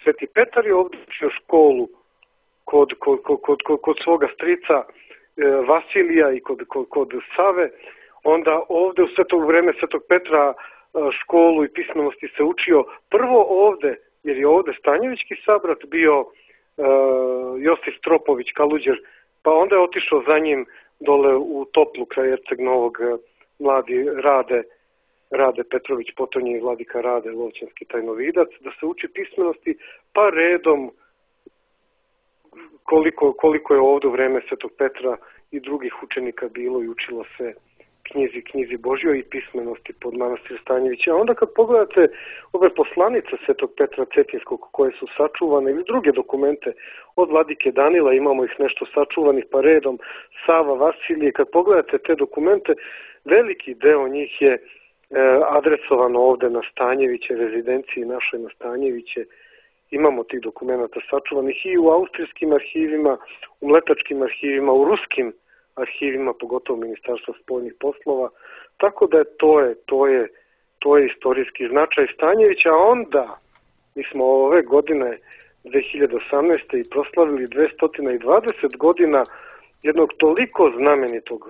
Sveti Petar je ovdje učio školu kod svoga strica Vasilija i kod Save. Onda ovdje u vreme Svetog Petra školu i pismenosti se učio prvo ovdje, jer je ovdje Stanjevićki sabrat bio Josif Stropović kaluđer, pa onda je otišao za njim dole u Toplu kraj Erceg Novog mladi Rade Petrović Potonji i vladika Rade Lovćanski tajnovidac, da se uči pismenosti, pa redom koliko je ovdje u vreme Svetog Petra i drugih učenika bilo i učilo se knjizi Božjoj i pismenosti pod manastir Stanjevića. A onda kad pogledate ove poslanice Svetog Petra Cetinskog koje su sačuvane ili druge dokumente od vladike Danila, imamo ih nešto sačuvanih pa redom, Sava, Vasilije, kad pogledate te dokumente, veliki deo njih je adresovano ovdje na Stanjeviće, rezidenciji našoj na Stanjeviće. Imamo tih dokumenta sačuvanih i u austrijskim arhivima, u mletačkim arhivima, u ruskim arhivima, pogotovo Ministarstva spoljnih poslova. Tako da to je istorijski značaj Stanjevića. A onda mi smo ove godine 2018. i proslavili 220 godina jednog toliko znamenitog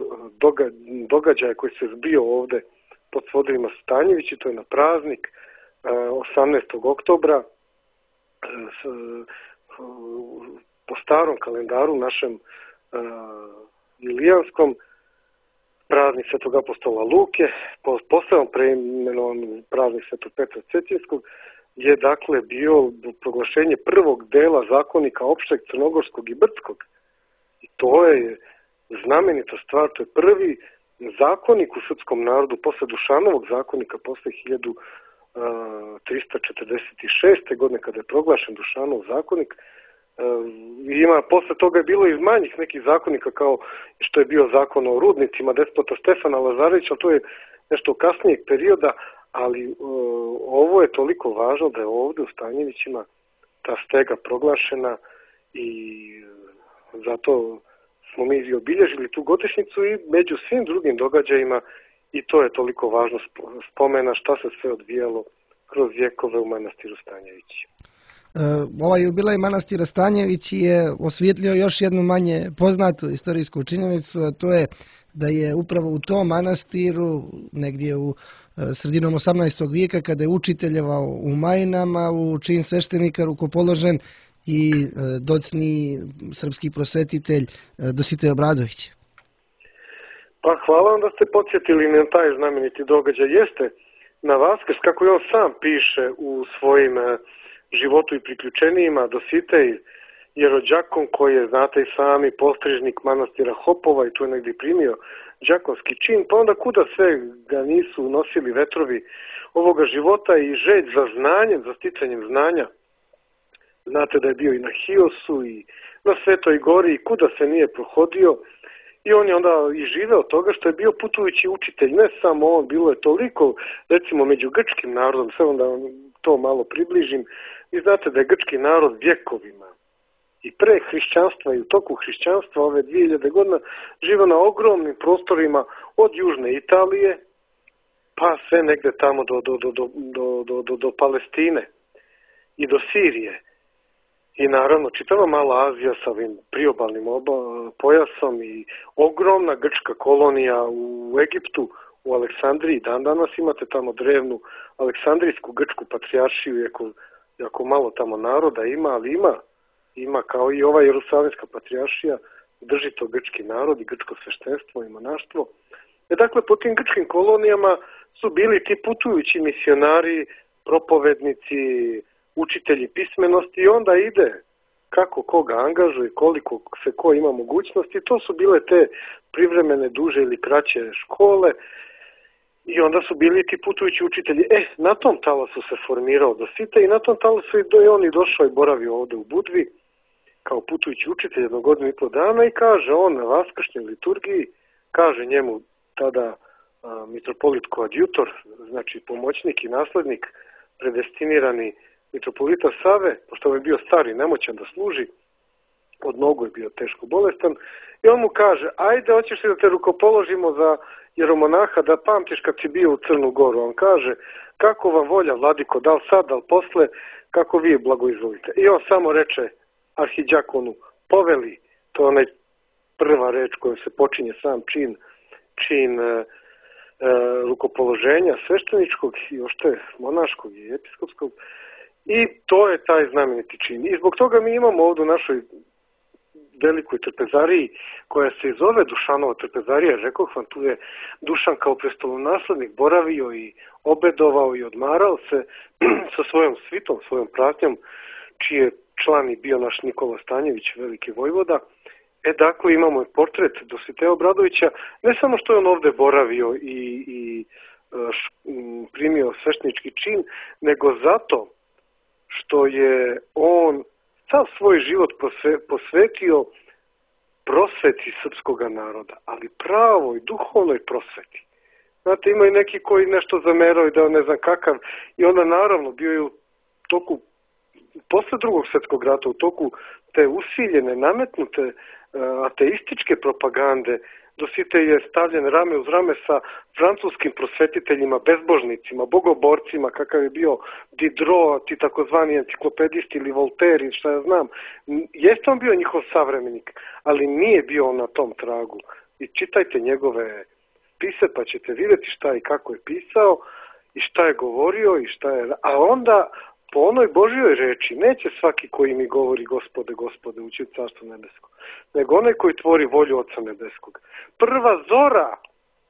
događaja koji se zbio ovdje pod svodovima Stanjevići. To je na praznik 18. oktobra po starom kalendaru našem Ilijanskom, praznik Svetog apostola Luke, posebno preimenovan praznik Svetog Petra Cetinskog, je dakle bio proglašenje prvog dela zakonika opšteg crnogorskog i brdskog. I to je znamenita stvar, to je prvi zakonik u srpskom narodu posle Dušanovog zakonika, posle 1346. godine kada je proglašen Dušanov zakonik. Posle toga je bilo i manjih nekih zakonika kao što je bio zakon o rudnicima despota Stefana Lazarevića, to je nešto kasnijeg perioda, ali ovo je toliko važno da je ovdje u Stanjevićima ta stega proglašena i zato smo mi obilježili tu godišnjicu i među svim drugim događajima i to je toliko važno spomena šta se sve odvijalo kroz vjekove u manastiru Stanjevići. Ovaj jubilej manastira Stanjevići je osvijetlio još jednu manje poznatu istorijsku činjenicu, a to je da je upravo u tom manastiru, negdje u sredinom 18. vijeka, kada je učiteljevao u Majinama, u čin sveštenika rukopoložen i docni srpski prosvetitelj Dositej Obradović. Pa hvala vam da ste podsjetili na taj znameniti događaj. Jeste na Vaskrs, kako je on sam piše u svojim životu i priključenijima, Dositej je rođakon koji je, znate i sami, postrižnik manastira Hopova i tu je negdje primio đakonski čin, pa onda kuda sve ga nisu nosili vetrovi ovoga života i želj za znanjem, za sticanjem znanja. Znate da je bio i na Hiosu i na Svetoj gori i kuda se nije prohodio i on je onda i živeo od toga što je bio putujući učitelj. Ne samo on, bilo je toliko, recimo među grčkim narodom, sve onda to malo približim. Vi znate da je grčki narod vjekovima i pre hrišćanstva i u toku hrišćanstva ove 2000 godina živa na ogromnim prostorima od južne Italije pa sve negde tamo do Palestine i do Sirije. I naravno čitava Mala Azija sa ovim priobalnim pojasom i ogromna grčka kolonija u Egiptu, u Aleksandriji. Dan danas imate tamo drevnu Aleksandrijsku grčku patrijaršiju, jako malo tamo naroda ima, ali ima kao i ova Jerusalimska patrijaršija, drži to grčki narod i grčko sveštenstvo i monaštvo. Dakle, po tim grčkim kolonijama su bili ti putujući misionari, propovednici, učitelji pismenosti i onda ide kako koga angažuje, koliko se ko ima mogućnosti. To su bile te privremene, duže ili kraće škole i onda su bili ti putujući učitelji. Na tom talasu se formirao Dositej i na tom talasu je on i došao i boravio ovde u Budvi kao putujući učitelj 1 godinu i pol dana i kaže on na vaskršnjoj liturgiji, kaže njemu tada mitropolit koadjutor, znači pomoćnik i naslednik, predestinirani mitropolita Save, pošto je bio stari, nemoćan da služi, od nogu je bio teško bolestan, i on mu kaže, ajde, hoćeš li da te rukopoložimo za jeromonaha, da pamtiš kad si bio u Crnu Goru. On kaže, kako vam volja, vladiko, da li sad, da li posle, kako vi blagoizvolite. I on samo reče arhidjakonu, poveli, to je onaj prva reč kojom se počinje sam čin rukopoloženja svešteničkog i ošte monaškog i episkopskog. I to je taj znameniti čin. I zbog toga mi imamo ovdje u našoj velikoj trpezariji, koja se zove Dušanova trpezarija. Rekoh vam, tu je Dušan kao prestolonaslednik boravio i obedovao i odmarao se sa svojom svitom, svojom pratnjom, čiji je član i bio naš Nikola Stanjević, veliki vojvoda. Dakle, imamo i portret Dositeja Obradovića, ne samo što je on ovde boravio i primio sveštenički čin, nego zato što je on sav svoj život posvetio prosveti srpskog naroda, ali pravoj, duhovnoj prosveti. Znate, ima i neki koji nešto zamerao i da ne znam kakav, i onda naravno bio je u toku, posle Drugog svjetskog rata, u toku te usiljene, nametnute ateističke propagande, Dositej je stavljen rame uz rame sa francuskim prosvetiteljima, bezbožnicima, bogoborcima, kakav je bio Diderot, ti takozvani enciklopedisti ili Voltaire, šta ja znam. Jeste on bio njihov savremenik, ali nije bio on na tom tragu. I čitajte njegove spise pa ćete vidjeti šta i kako je pisao i šta je govorio i šta je... A onda po onoj Božjoj reči neće svaki koji mi govori Gospode, Gospode, ući u Carstvo nebesko, nego onaj koji tvori volju Oca nebeskog.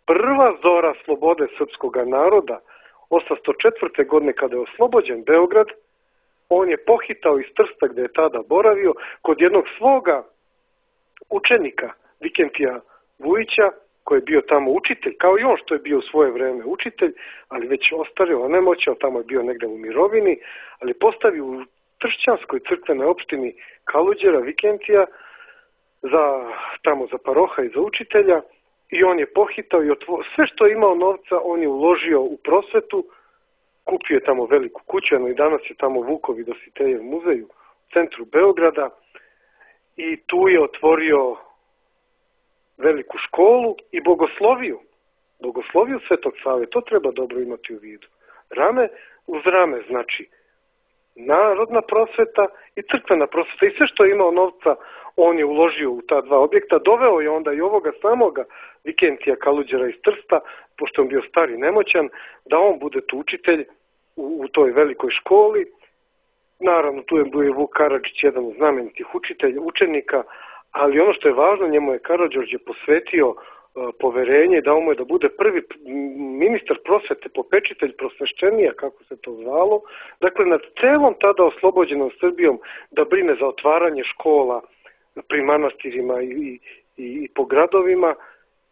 Prva zora slobode srpskog naroda, 804. godine kada je oslobođen Beograd, on je pohitao iz Trsta gde je tada boravio kod jednog svoga učenika, Vikentija Vujića, koji je bio tamo učitelj, kao i on što je bio u svoje vreme učitelj, ali već ostario, onemoćao, tamo je bio negde u mirovini, ali postavio u Tršćanskoj crkvenoj opštini Kaluđera Vikentija tamo za paroha i za učitelja, i on je pohitao i sve što je imao novca on je uložio u prosvetu, kupio je tamo veliku kuću, i danas je tamo Vukov i Dositejev muzej u centru Beograda, i tu je otvorio veliku školu i bogosloviju Svetog Save. To treba dobro imati u vidu. Rame uz rame, znači narodna prosveta i crkvena prosveta, i sve što je imao novca on je uložio u ta dva objekta. Doveo je onda i ovoga samoga Vikentija Kaluđera iz Trsta, pošto on bio stari nemoćan, da on bude tu učitelj u toj velikoj školi. Naravno, tu je bio Vuk Karadžić, jedan od znamenitih učenika, ali ono što je važno, njemu je Karađorđe posvetio poverenje i dao mu je da bude prvi ministar prosvete, popečitelj prosvešćenija, kako se to zvalo. Dakle, nad celom tada oslobođenom Srbijom da brine za otvaranje škola pri manastirima i po gradovima,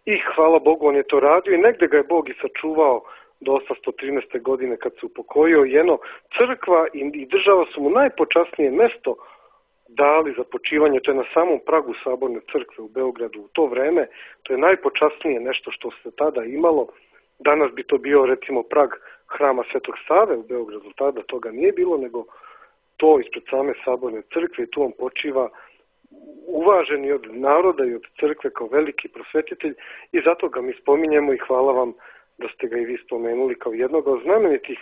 i hvala Bogu on je to radio i negde ga je Bog i sačuvao do 813. godine kad se upokojio. Jedno, crkva i država su mu najpočasnije mesto dali za počivanje, to je na samom pragu Saborne crkve u Beogradu u to vreme, to je najpočasnije nešto što se tada imalo. Danas bi to bio recimo prag hrama Svetog Save u Beogradu, tada toga nije bilo, nego to ispred same Saborne crkve, i tu on počiva uvaženi od naroda i od crkve kao veliki prosvetitelj, i zato ga mi spominjemo i hvala vam da ste ga i vi spomenuli kao jednog od znamenitih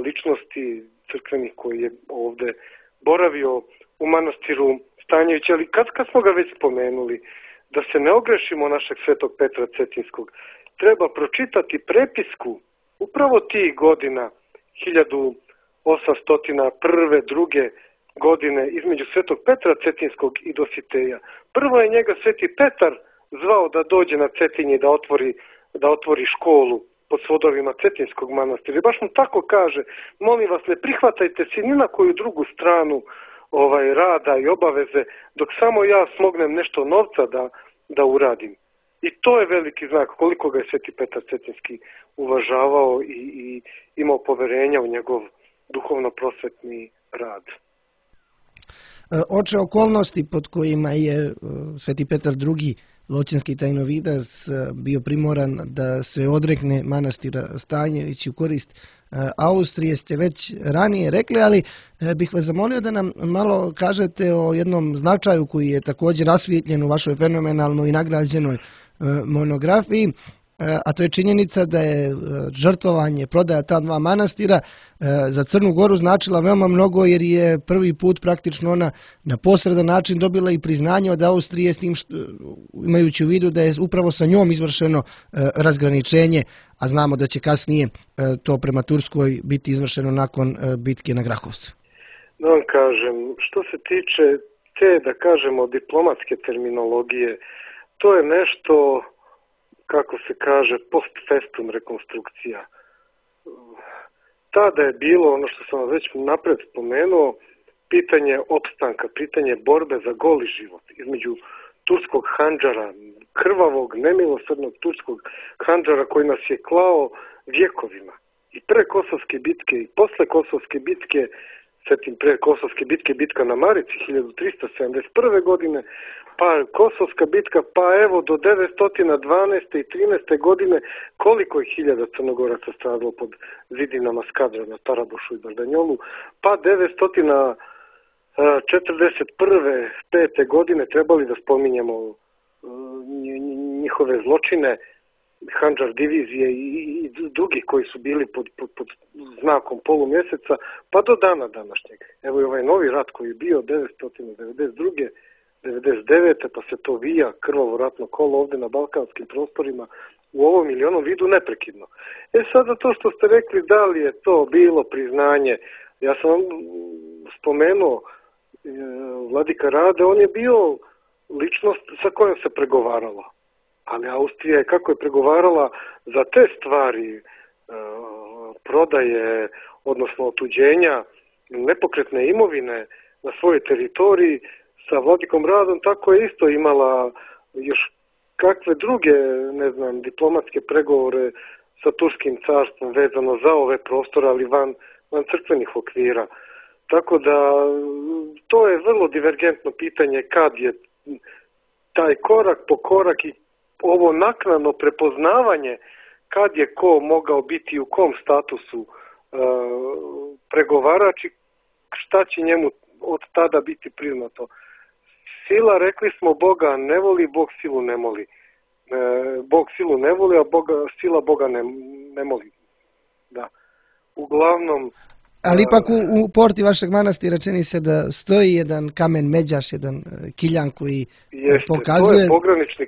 ličnosti crkvenih koji je ovde boravio u manastiru Stanjević. Ali kad smo ga već spomenuli, da se ne ogrešimo našeg Svetog Petra Cetinskog, treba pročitati prepisku upravo tih godina 1801. 2. godine između Svetog Petra Cetinskog i Dositeja. Prvo je njega Sveti Petar zvao da dođe na Cetinje da otvori školu pod svodovima Cetinskog manastira. I baš mu tako kaže, molim vas, ne prihvatajte se ni na koju drugu stranu rada i obaveze, dok samo ja smognem nešto novca da uradim. I to je veliki znak koliko ga je Sveti Petar Cetinski uvažavao i imao poverenja u njegov duhovno-prosvetni rad. Oče, okolnosti pod kojima je Sveti Petar II. Loćinski tajnovidac bio primoran da se odrekne manastira Stanjević u korist Austrije ste već ranije rekli, ali bih vas zamolio da nam malo kažete o jednom značaju koji je također rasvijetljen u vašoj fenomenalnoj i nagrađenoj monografiji, a to je činjenica da je žrtvovanje, prodaja ta dva manastira za Crnu Goru značila veoma mnogo, jer je prvi put praktično ona na posredan način dobila i priznanje od Austrije, s tim imajući u vidu da je upravo sa njom izvršeno razgraničenje, a znamo da će kasnije to prema Turskoj biti izvršeno nakon bitke na Grahovcu. Da vam kažem, što se tiče te, da kažemo, diplomatske terminologije, to je nešto, kako se kaže, post festum rekonstrukcija. Tada je bilo, ono što sam već napred spomenuo, pitanje opstanka, pitanje borbe za goli život između turskog handžara, krvavog, nemilosrdnog turskog handžara koji nas je klao vjekovima. I pre Kosovske bitke i posle Kosovske bitke, svetim pre Kosovske bitke, bitka na Marici 1371. godine, pa Kosovska bitka, pa evo do 912. i 13. godine koliko je hiljada Crnogoraca stradalo pod zidinama Skadra na Tarabušu i Bardanjolu, pa 941. 5. godine trebali da spominjemo njihove zločine, Handžar divizije i drugi koji su bili pod znakom polumjeseca, pa do dana današnjeg. Evo i ovaj novi rat koji je bio 992. 99. pa se to vija krvavo ratno kolo ovdje na balkanskim prostorima u ovom ili onom vidu neprekidno. Sada to što ste rekli, da li je to bilo priznanje, ja sam vam spomenuo Vladika Rade, on je bio ličnost sa kojom se pregovaralo. Ali Austrija je kako je pregovarala za te stvari, prodaje, odnosno otuđenja nepokretne imovine na svojoj teritoriji, sa Vladikom Radom, tako je isto imala još kakve druge, diplomatske pregovore sa Turskim carstvom vezano za ove prostore, ali van crkvenih okvira. Tako da to je vrlo divergentno pitanje kad je taj korak po korak i ovo naknadno prepoznavanje kad je ko mogao biti u kom statusu pregovarač i šta će njemu od tada biti priznato. Sila, rekli smo, Boga ne voli, Bog silu ne moli. Bog silu ne voli, a sila Boga ne moli. Da. Uglavnom... Ali ipak u porti vašeg manastira čini se da stoji jedan kamen međaš, jedan kiljan koji pokazuje... To je pogranični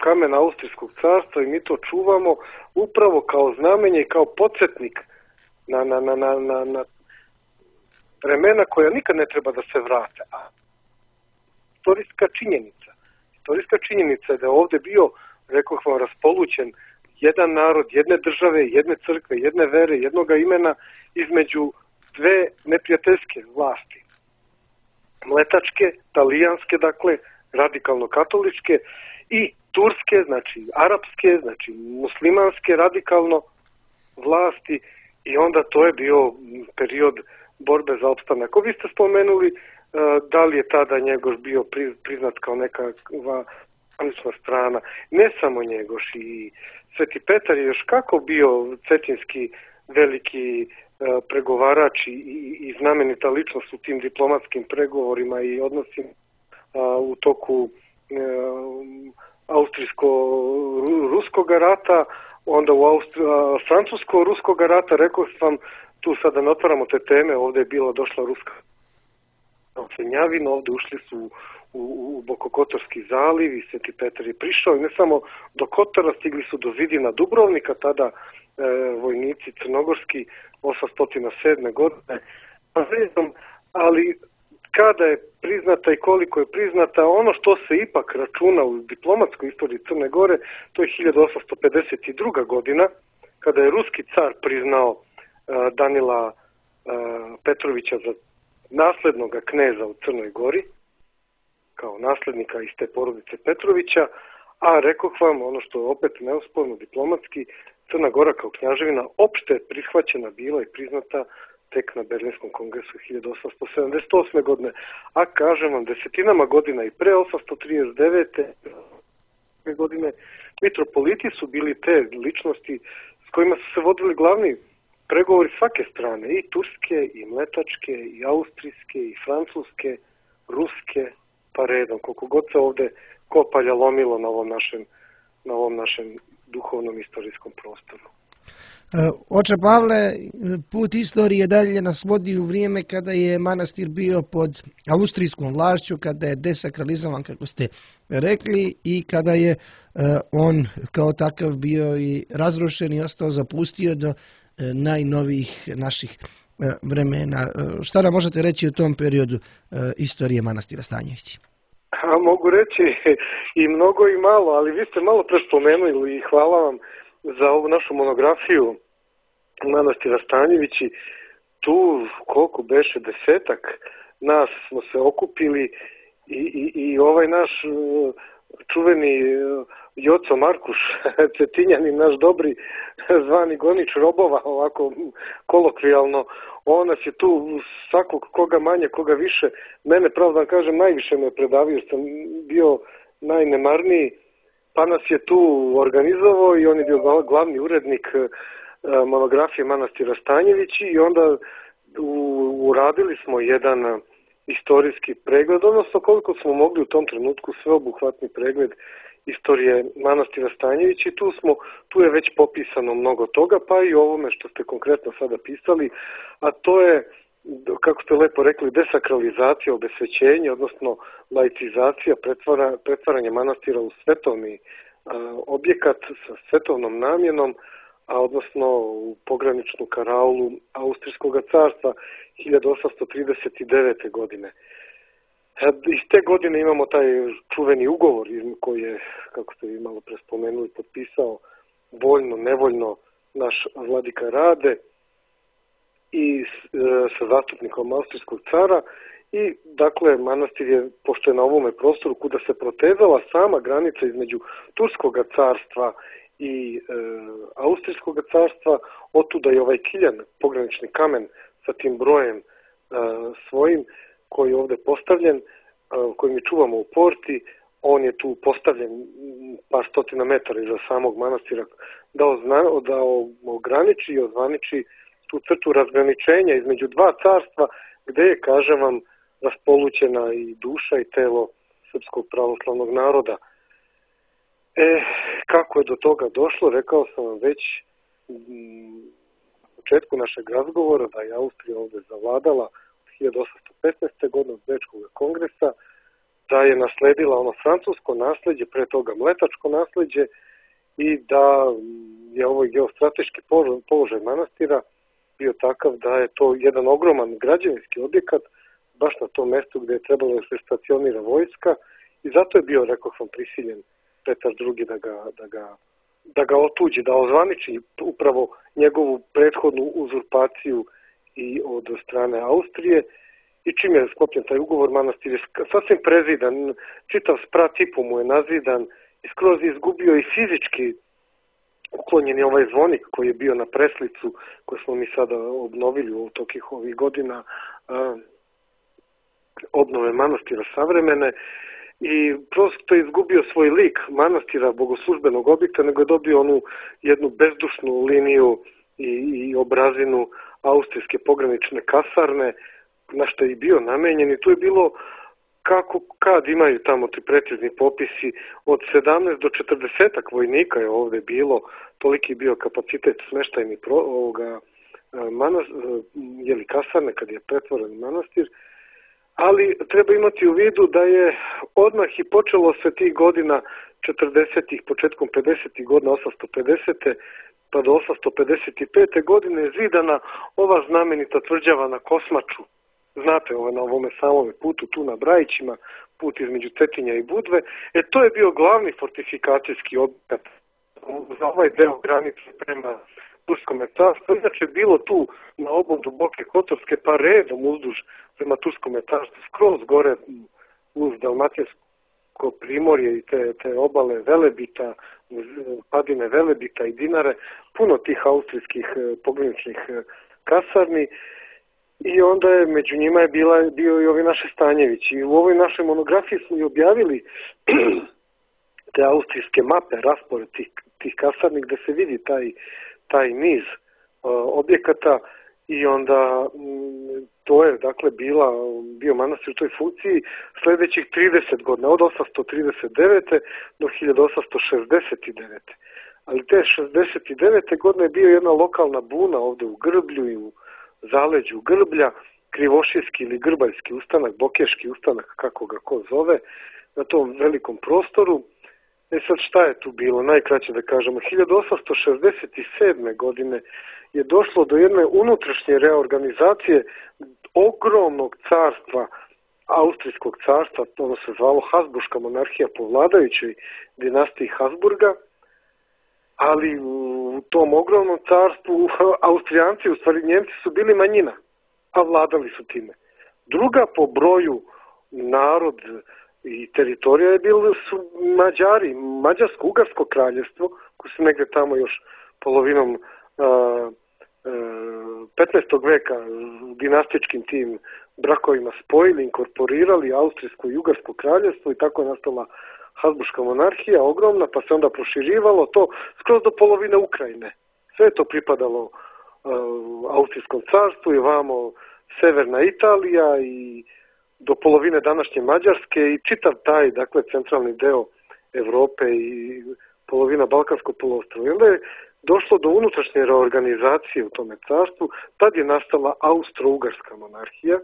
kamen Austrijskog carstva i mi to čuvamo upravo kao znamenje i kao podsjetnik na vremena koja nikad ne treba da se vrate. Istorijska činjenica je da je ovdje bio, rekoh vam, raspolućen jedan narod, jedne države, jedne crkve, jedne vere, jednoga imena između dve neprijateljske vlasti. Mletačke, talijanske, dakle, radikalno-katoličke i turske, znači arapske, znači muslimanske radikalno vlasti i onda to je bio period borbe za opstanak. Vi ste spomenuli da li je tada Njegoš bio priznat kao nekakva zvanična strana. Ne samo Njegoš, i Sveti Petar je još kako bio cetinski veliki pregovarač i znamenita ličnost u tim diplomatskim pregovorima i odnosima u toku austrijsko-ruskog rata, onda u francusko-ruskog rata, rekao sam, tu sada ne otvaramo te teme, ovdje je bila došla ruska ocenjavina, ovdje ušli su u Bokokotorski zaliv i Sveti Petar je prišao i ne samo do Kotora, stigli su do zidina Dubrovnika, tada vojnici crnogorski 807. godine, ali kada je priznata i koliko je priznata, ono što se ipak računa u diplomatskoj istoriji Crne Gore, to je 1852. godina, kada je ruski car priznao Danila Petrovića za naslednog kneza u Crnoj Gori, kao naslednika iz te porodice Petrovića, a rekoh vam, ono što je opet neosporno diplomatski, Crna Gora kao kняževina opšte prihvaćena bila i priznata tek na Berlinskom kongresu 1878. godine, a kažem vam, desetinama godina i pre 839. godine mitropoliti su bili te ličnosti s kojima su se vodili glavni pregovori svake strane, i turske, i mletačke, i austrijske, i francuske, ruske, pa redom, koliko god se ovde kopalja lomilo na ovom našem duhovnom istorijskom prostoru. Oče Pavle, put istorije dalje nas vodi u vrijeme kada je manastir bio pod austrijskom vlašću, kada je desakralizovan, kako ste rekli, i kada je on kao takav bio i razrušen i ostao zapustio do najnovijih naših vremena. Šta nam možete reći o tom periodu istorije manastira Stanjević? Mogu reći i mnogo i malo, ali vi ste malo pre spomenuli i hvala vam za ovu našu monografiju manastira Stanjevići. Tu koliko beše, 10-ak nas smo se okupili i ovaj naš čuveni Joco Markuš Cetinjanin, naš dobri zvani gonič robova, ovako kolokvijalno, on nas je tu svakog koga manje, koga više, mene pravo da kažem najviše me predavio, jer sam bio najnemarniji, pa nas je tu organizovao i on je bio glavni urednik monografije manastira Stanjevići i onda uradili smo jedan istorijski pregled, odnosno koliko smo mogli u tom trenutku sveobuhvatni pregled istorije manastira Stanjevići. Tu je već popisano mnogo toga, pa i ovome što ste konkretno sada pisali, a to je, kako ste lepo rekli, desakralizacija, obesvećenje, odnosno laicizacija, pretvaranje manastira u svetovni objekat sa svetovnom namjenom, a odnosno u pograničnu karaulu Austrijskog carstva 1839. godine. Iz te godine imamo taj čuveni ugovor koji je, kako ste vi malo pre spomenuli, potpisao voljno, nevoljno naš vladika Rade i sa zastupnikom Austrijskog cara. I dakle, manastir je, pošto je na ovome prostoru kuda se protezala sama granica između Turskog carstva i Austrijskog carstva, otuda je ovaj kiljan, pogranični kamen sa tim brojem svojim, koji je ovde postavljen, koji mi čuvamo u porti. On je tu postavljen par stotina metara iza samog manastira da ograniči i ozvaniči tu crtu razgraničenja između dva carstva, gde je, kažem vam, raspolućena i duša i telo srpskog pravoslavnog naroda. Kako je do toga došlo, rekao sam vam već na početku našeg razgovora da je Austrija ovde zavladala 1815. godine od Bečkog kongresa, da je nasledila ono francusko nasleđe, pre toga mletačko nasleđe i da je ovaj geostrateški položaj manastira bio takav da je to jedan ogroman građevinski objekat baš na tom mestu gde je trebalo da se stacionira vojska i zato je bio, rekao sam, prisiljen Petar II da ga otuđi, da ozvaniči upravo njegovu prethodnu uzurpaciju i od strane Austrije. I čim je sklopljen taj ugovor, manastir je sasvim prezidan, čitav sprat i po mu je nazidan i skroz je izgubio i fizički uklonjen je ovaj zvonik koji je bio na preslicu koju smo mi sada obnovili u tokih ovih godina obnove manastira savremene i prosto je izgubio svoj lik manastira bogoslužbenog objekta, nego je dobio onu jednu bezdušnu liniju i obrazinu austrijske pogranične kasarne, na što je i bio namenjen i tu je bilo kad imaju tamo ti precizni popisi od 17 do 40 vojnika je ovde bilo, toliki bio kapacitet smeštajni kasarne kad je pretvoren manastir, ali treba imati u vidu da je odmah i počelo se tih godina 40-ih, početkom 50-ih godina, 850. pa do 855. godine zidana ova znamenita tvrđava na Kosmaču. Znate, na ovome samome putu, tu na Brajićima, put između Cetinja i Budve. To je bio glavni fortifikacijski objekat za ovaj deo granice Turskom carstvu. Inače je bilo tu na obodu Boke Kotorske, pa redom uzduž prema Turskom carstvu, skroz gore uz Dalmatinsko primorje i te obale Velebita, padine Velebita i Dinare, puno tih austrijskih pograničnih kasarni. I onda je među njima je bio i ovi naši Stanjevići. I u ovoj našoj monografiji smo i objavili te austrijske mape, raspored tih kasarni gde se vidi taj niz objekata i onda to je dakle bio manastir u toj funkciji sledećih 30 godina, od 839. do 1869. Ali te 69. godine je bio jedna lokalna buna ovde u Grblju i u zaleđu Grblja, krivošijski ili grbaljski ustanak, bokeški ustanak, kako ga ko zove, na tom velikom prostoru. Sad šta je tu bilo? Najkraće da kažemo, 1867. godine je došlo do jedne unutrašnje reorganizacije ogromnog carstva, austrijskog carstva, ono se zvalo Habsburška monarhija po vladajućoj dinastiji Habsburga, ali u tom ogromnom carstvu Austrijanci, u stvari Njemci, su bili manjina, a vladali su time. Druga po broju narod i teritorija je bili su Mađari, Mađarsko-Ugarsko kraljevstvo, koji su negde tamo još polovinom 15. veka dinastičkim tim brakovima spojili, inkorporirali Austrijsko i Ugarsko kraljevstvo i tako je nastala Habsburška monarhija, ogromna, pa se onda proširivalo to skroz do polovine Ukrajine. Sve je to pripadalo Austrijskom carstvu i vamo severna Italija i do polovine današnje Mađarske i čitav taj, dakle, centralni deo Evrope i polovina Balkanskog poluostrva. I onda je došlo do unutrašnje reorganizacije u tome carstvu, tad je nastala Austro-Ugarska monarhija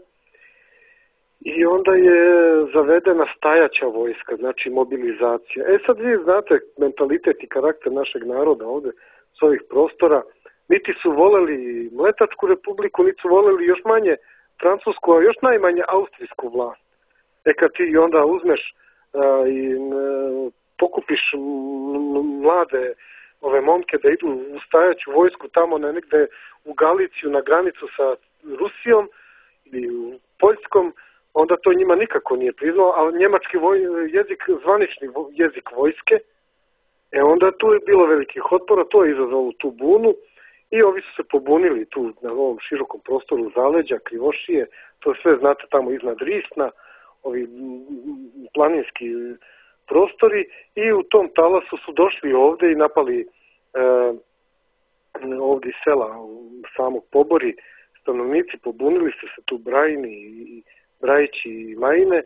i onda je zavedena stajaća vojska, znači mobilizacija. Sad vi znate mentalitet i karakter našeg naroda ovde s ovih prostora, niti su voleli Mletačku republiku, niti su voleli još manje Francusku, a još najmanje austrijsku vlast. Kad ti onda uzmeš i pokupiš mlade ove momke da idu u stajaću vojsku tamo negde u Galiciju na granicu sa Rusijom ili u Poljskom, onda to njima nikako nije priznao, ali njemački jezik, zvanični jezik vojske, onda tu je bilo velikih otpora, to je izazvalo tu bunu i ovi su se pobunili tu na ovom širokom prostoru zaleđa, Krivošije, to sve znate tamo iznad Risna, ovi planinski prostori i u tom talasu su došli ovde i napali ovde iz sela samog Pobori, stanovnici pobunili se tu Brajini i Brajići i Majine,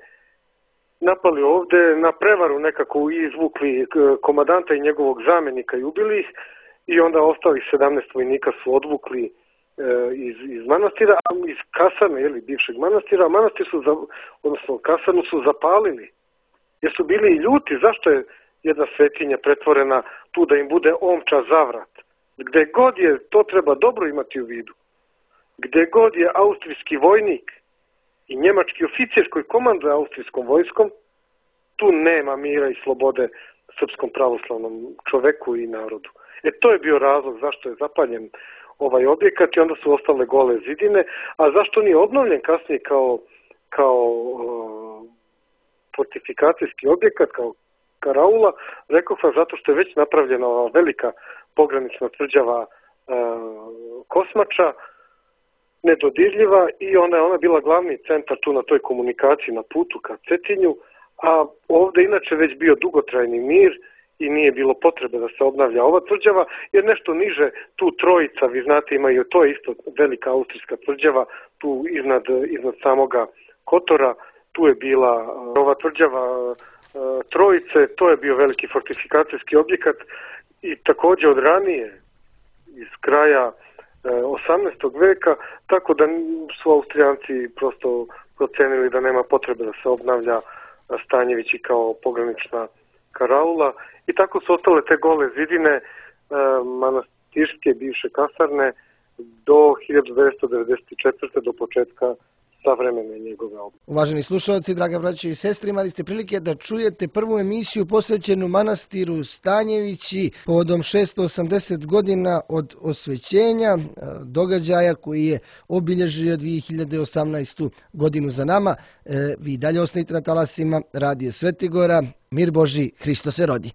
napali ovde, na prevaru nekako izvukli komadanta i njegovog zamenika i ubili ih i onda ostalih 17 vojnika su odvukli iz manastira, iz kasarne, bivšeg manastira, a manastir odnosno kasarnu su zapalili, jer su bili i ljuti, zašto je jedna svetinja pretvorena tu da im bude omča zavrat. Gde god je, to treba dobro imati u vidu, gde god je austrijski vojnik i njemački oficir koji komanduje austrijskom vojskom, tu nema mira i slobode srpskom pravoslavnom čoveku i narodu. To je bio razlog zašto je zapaljen ovaj objekat i onda su ostale gole zidine, a zašto nije obnovljen kasnije kao fortifikacijski objekat, kao karaula, rekao sam zato što je već napravljena velika pogranična tvrđava Kosmača, nedodirljiva i ona bila glavni centar tu na toj komunikaciji na putu ka Cetinju, a ovde inače već bio dugotrajni mir i nije bilo potrebe da se obnavlja ova tvrđava, jer nešto niže tu Trojica, vi znate imaju, to je isto velika austrijska tvrđava, tu iznad samoga Kotora, tu je bila ova tvrđava Trojice, to je bio veliki fortifikacijski objekat i takođe od ranije, iz kraja 18. veka, tako da su Austrijanci prosto procenili da nema potrebe da se obnavlja Stanjevići kao pogranična karaula i tako su ostale te gole zidine manastirske bivše kasarne do 1994. do početka savremene njegove obnove. Uvaženi slušalci, draga braćo i sestre, imali ste prilike da čujete prvu emisiju posvećenu manastiru Stanjevići povodom 680 godina od osvećenja, događaja koji je obilježio 2018. godinu za nama. Vi dalje ostanite na talasima Radija Svetigora. Mir Boži, Hristos se rodi.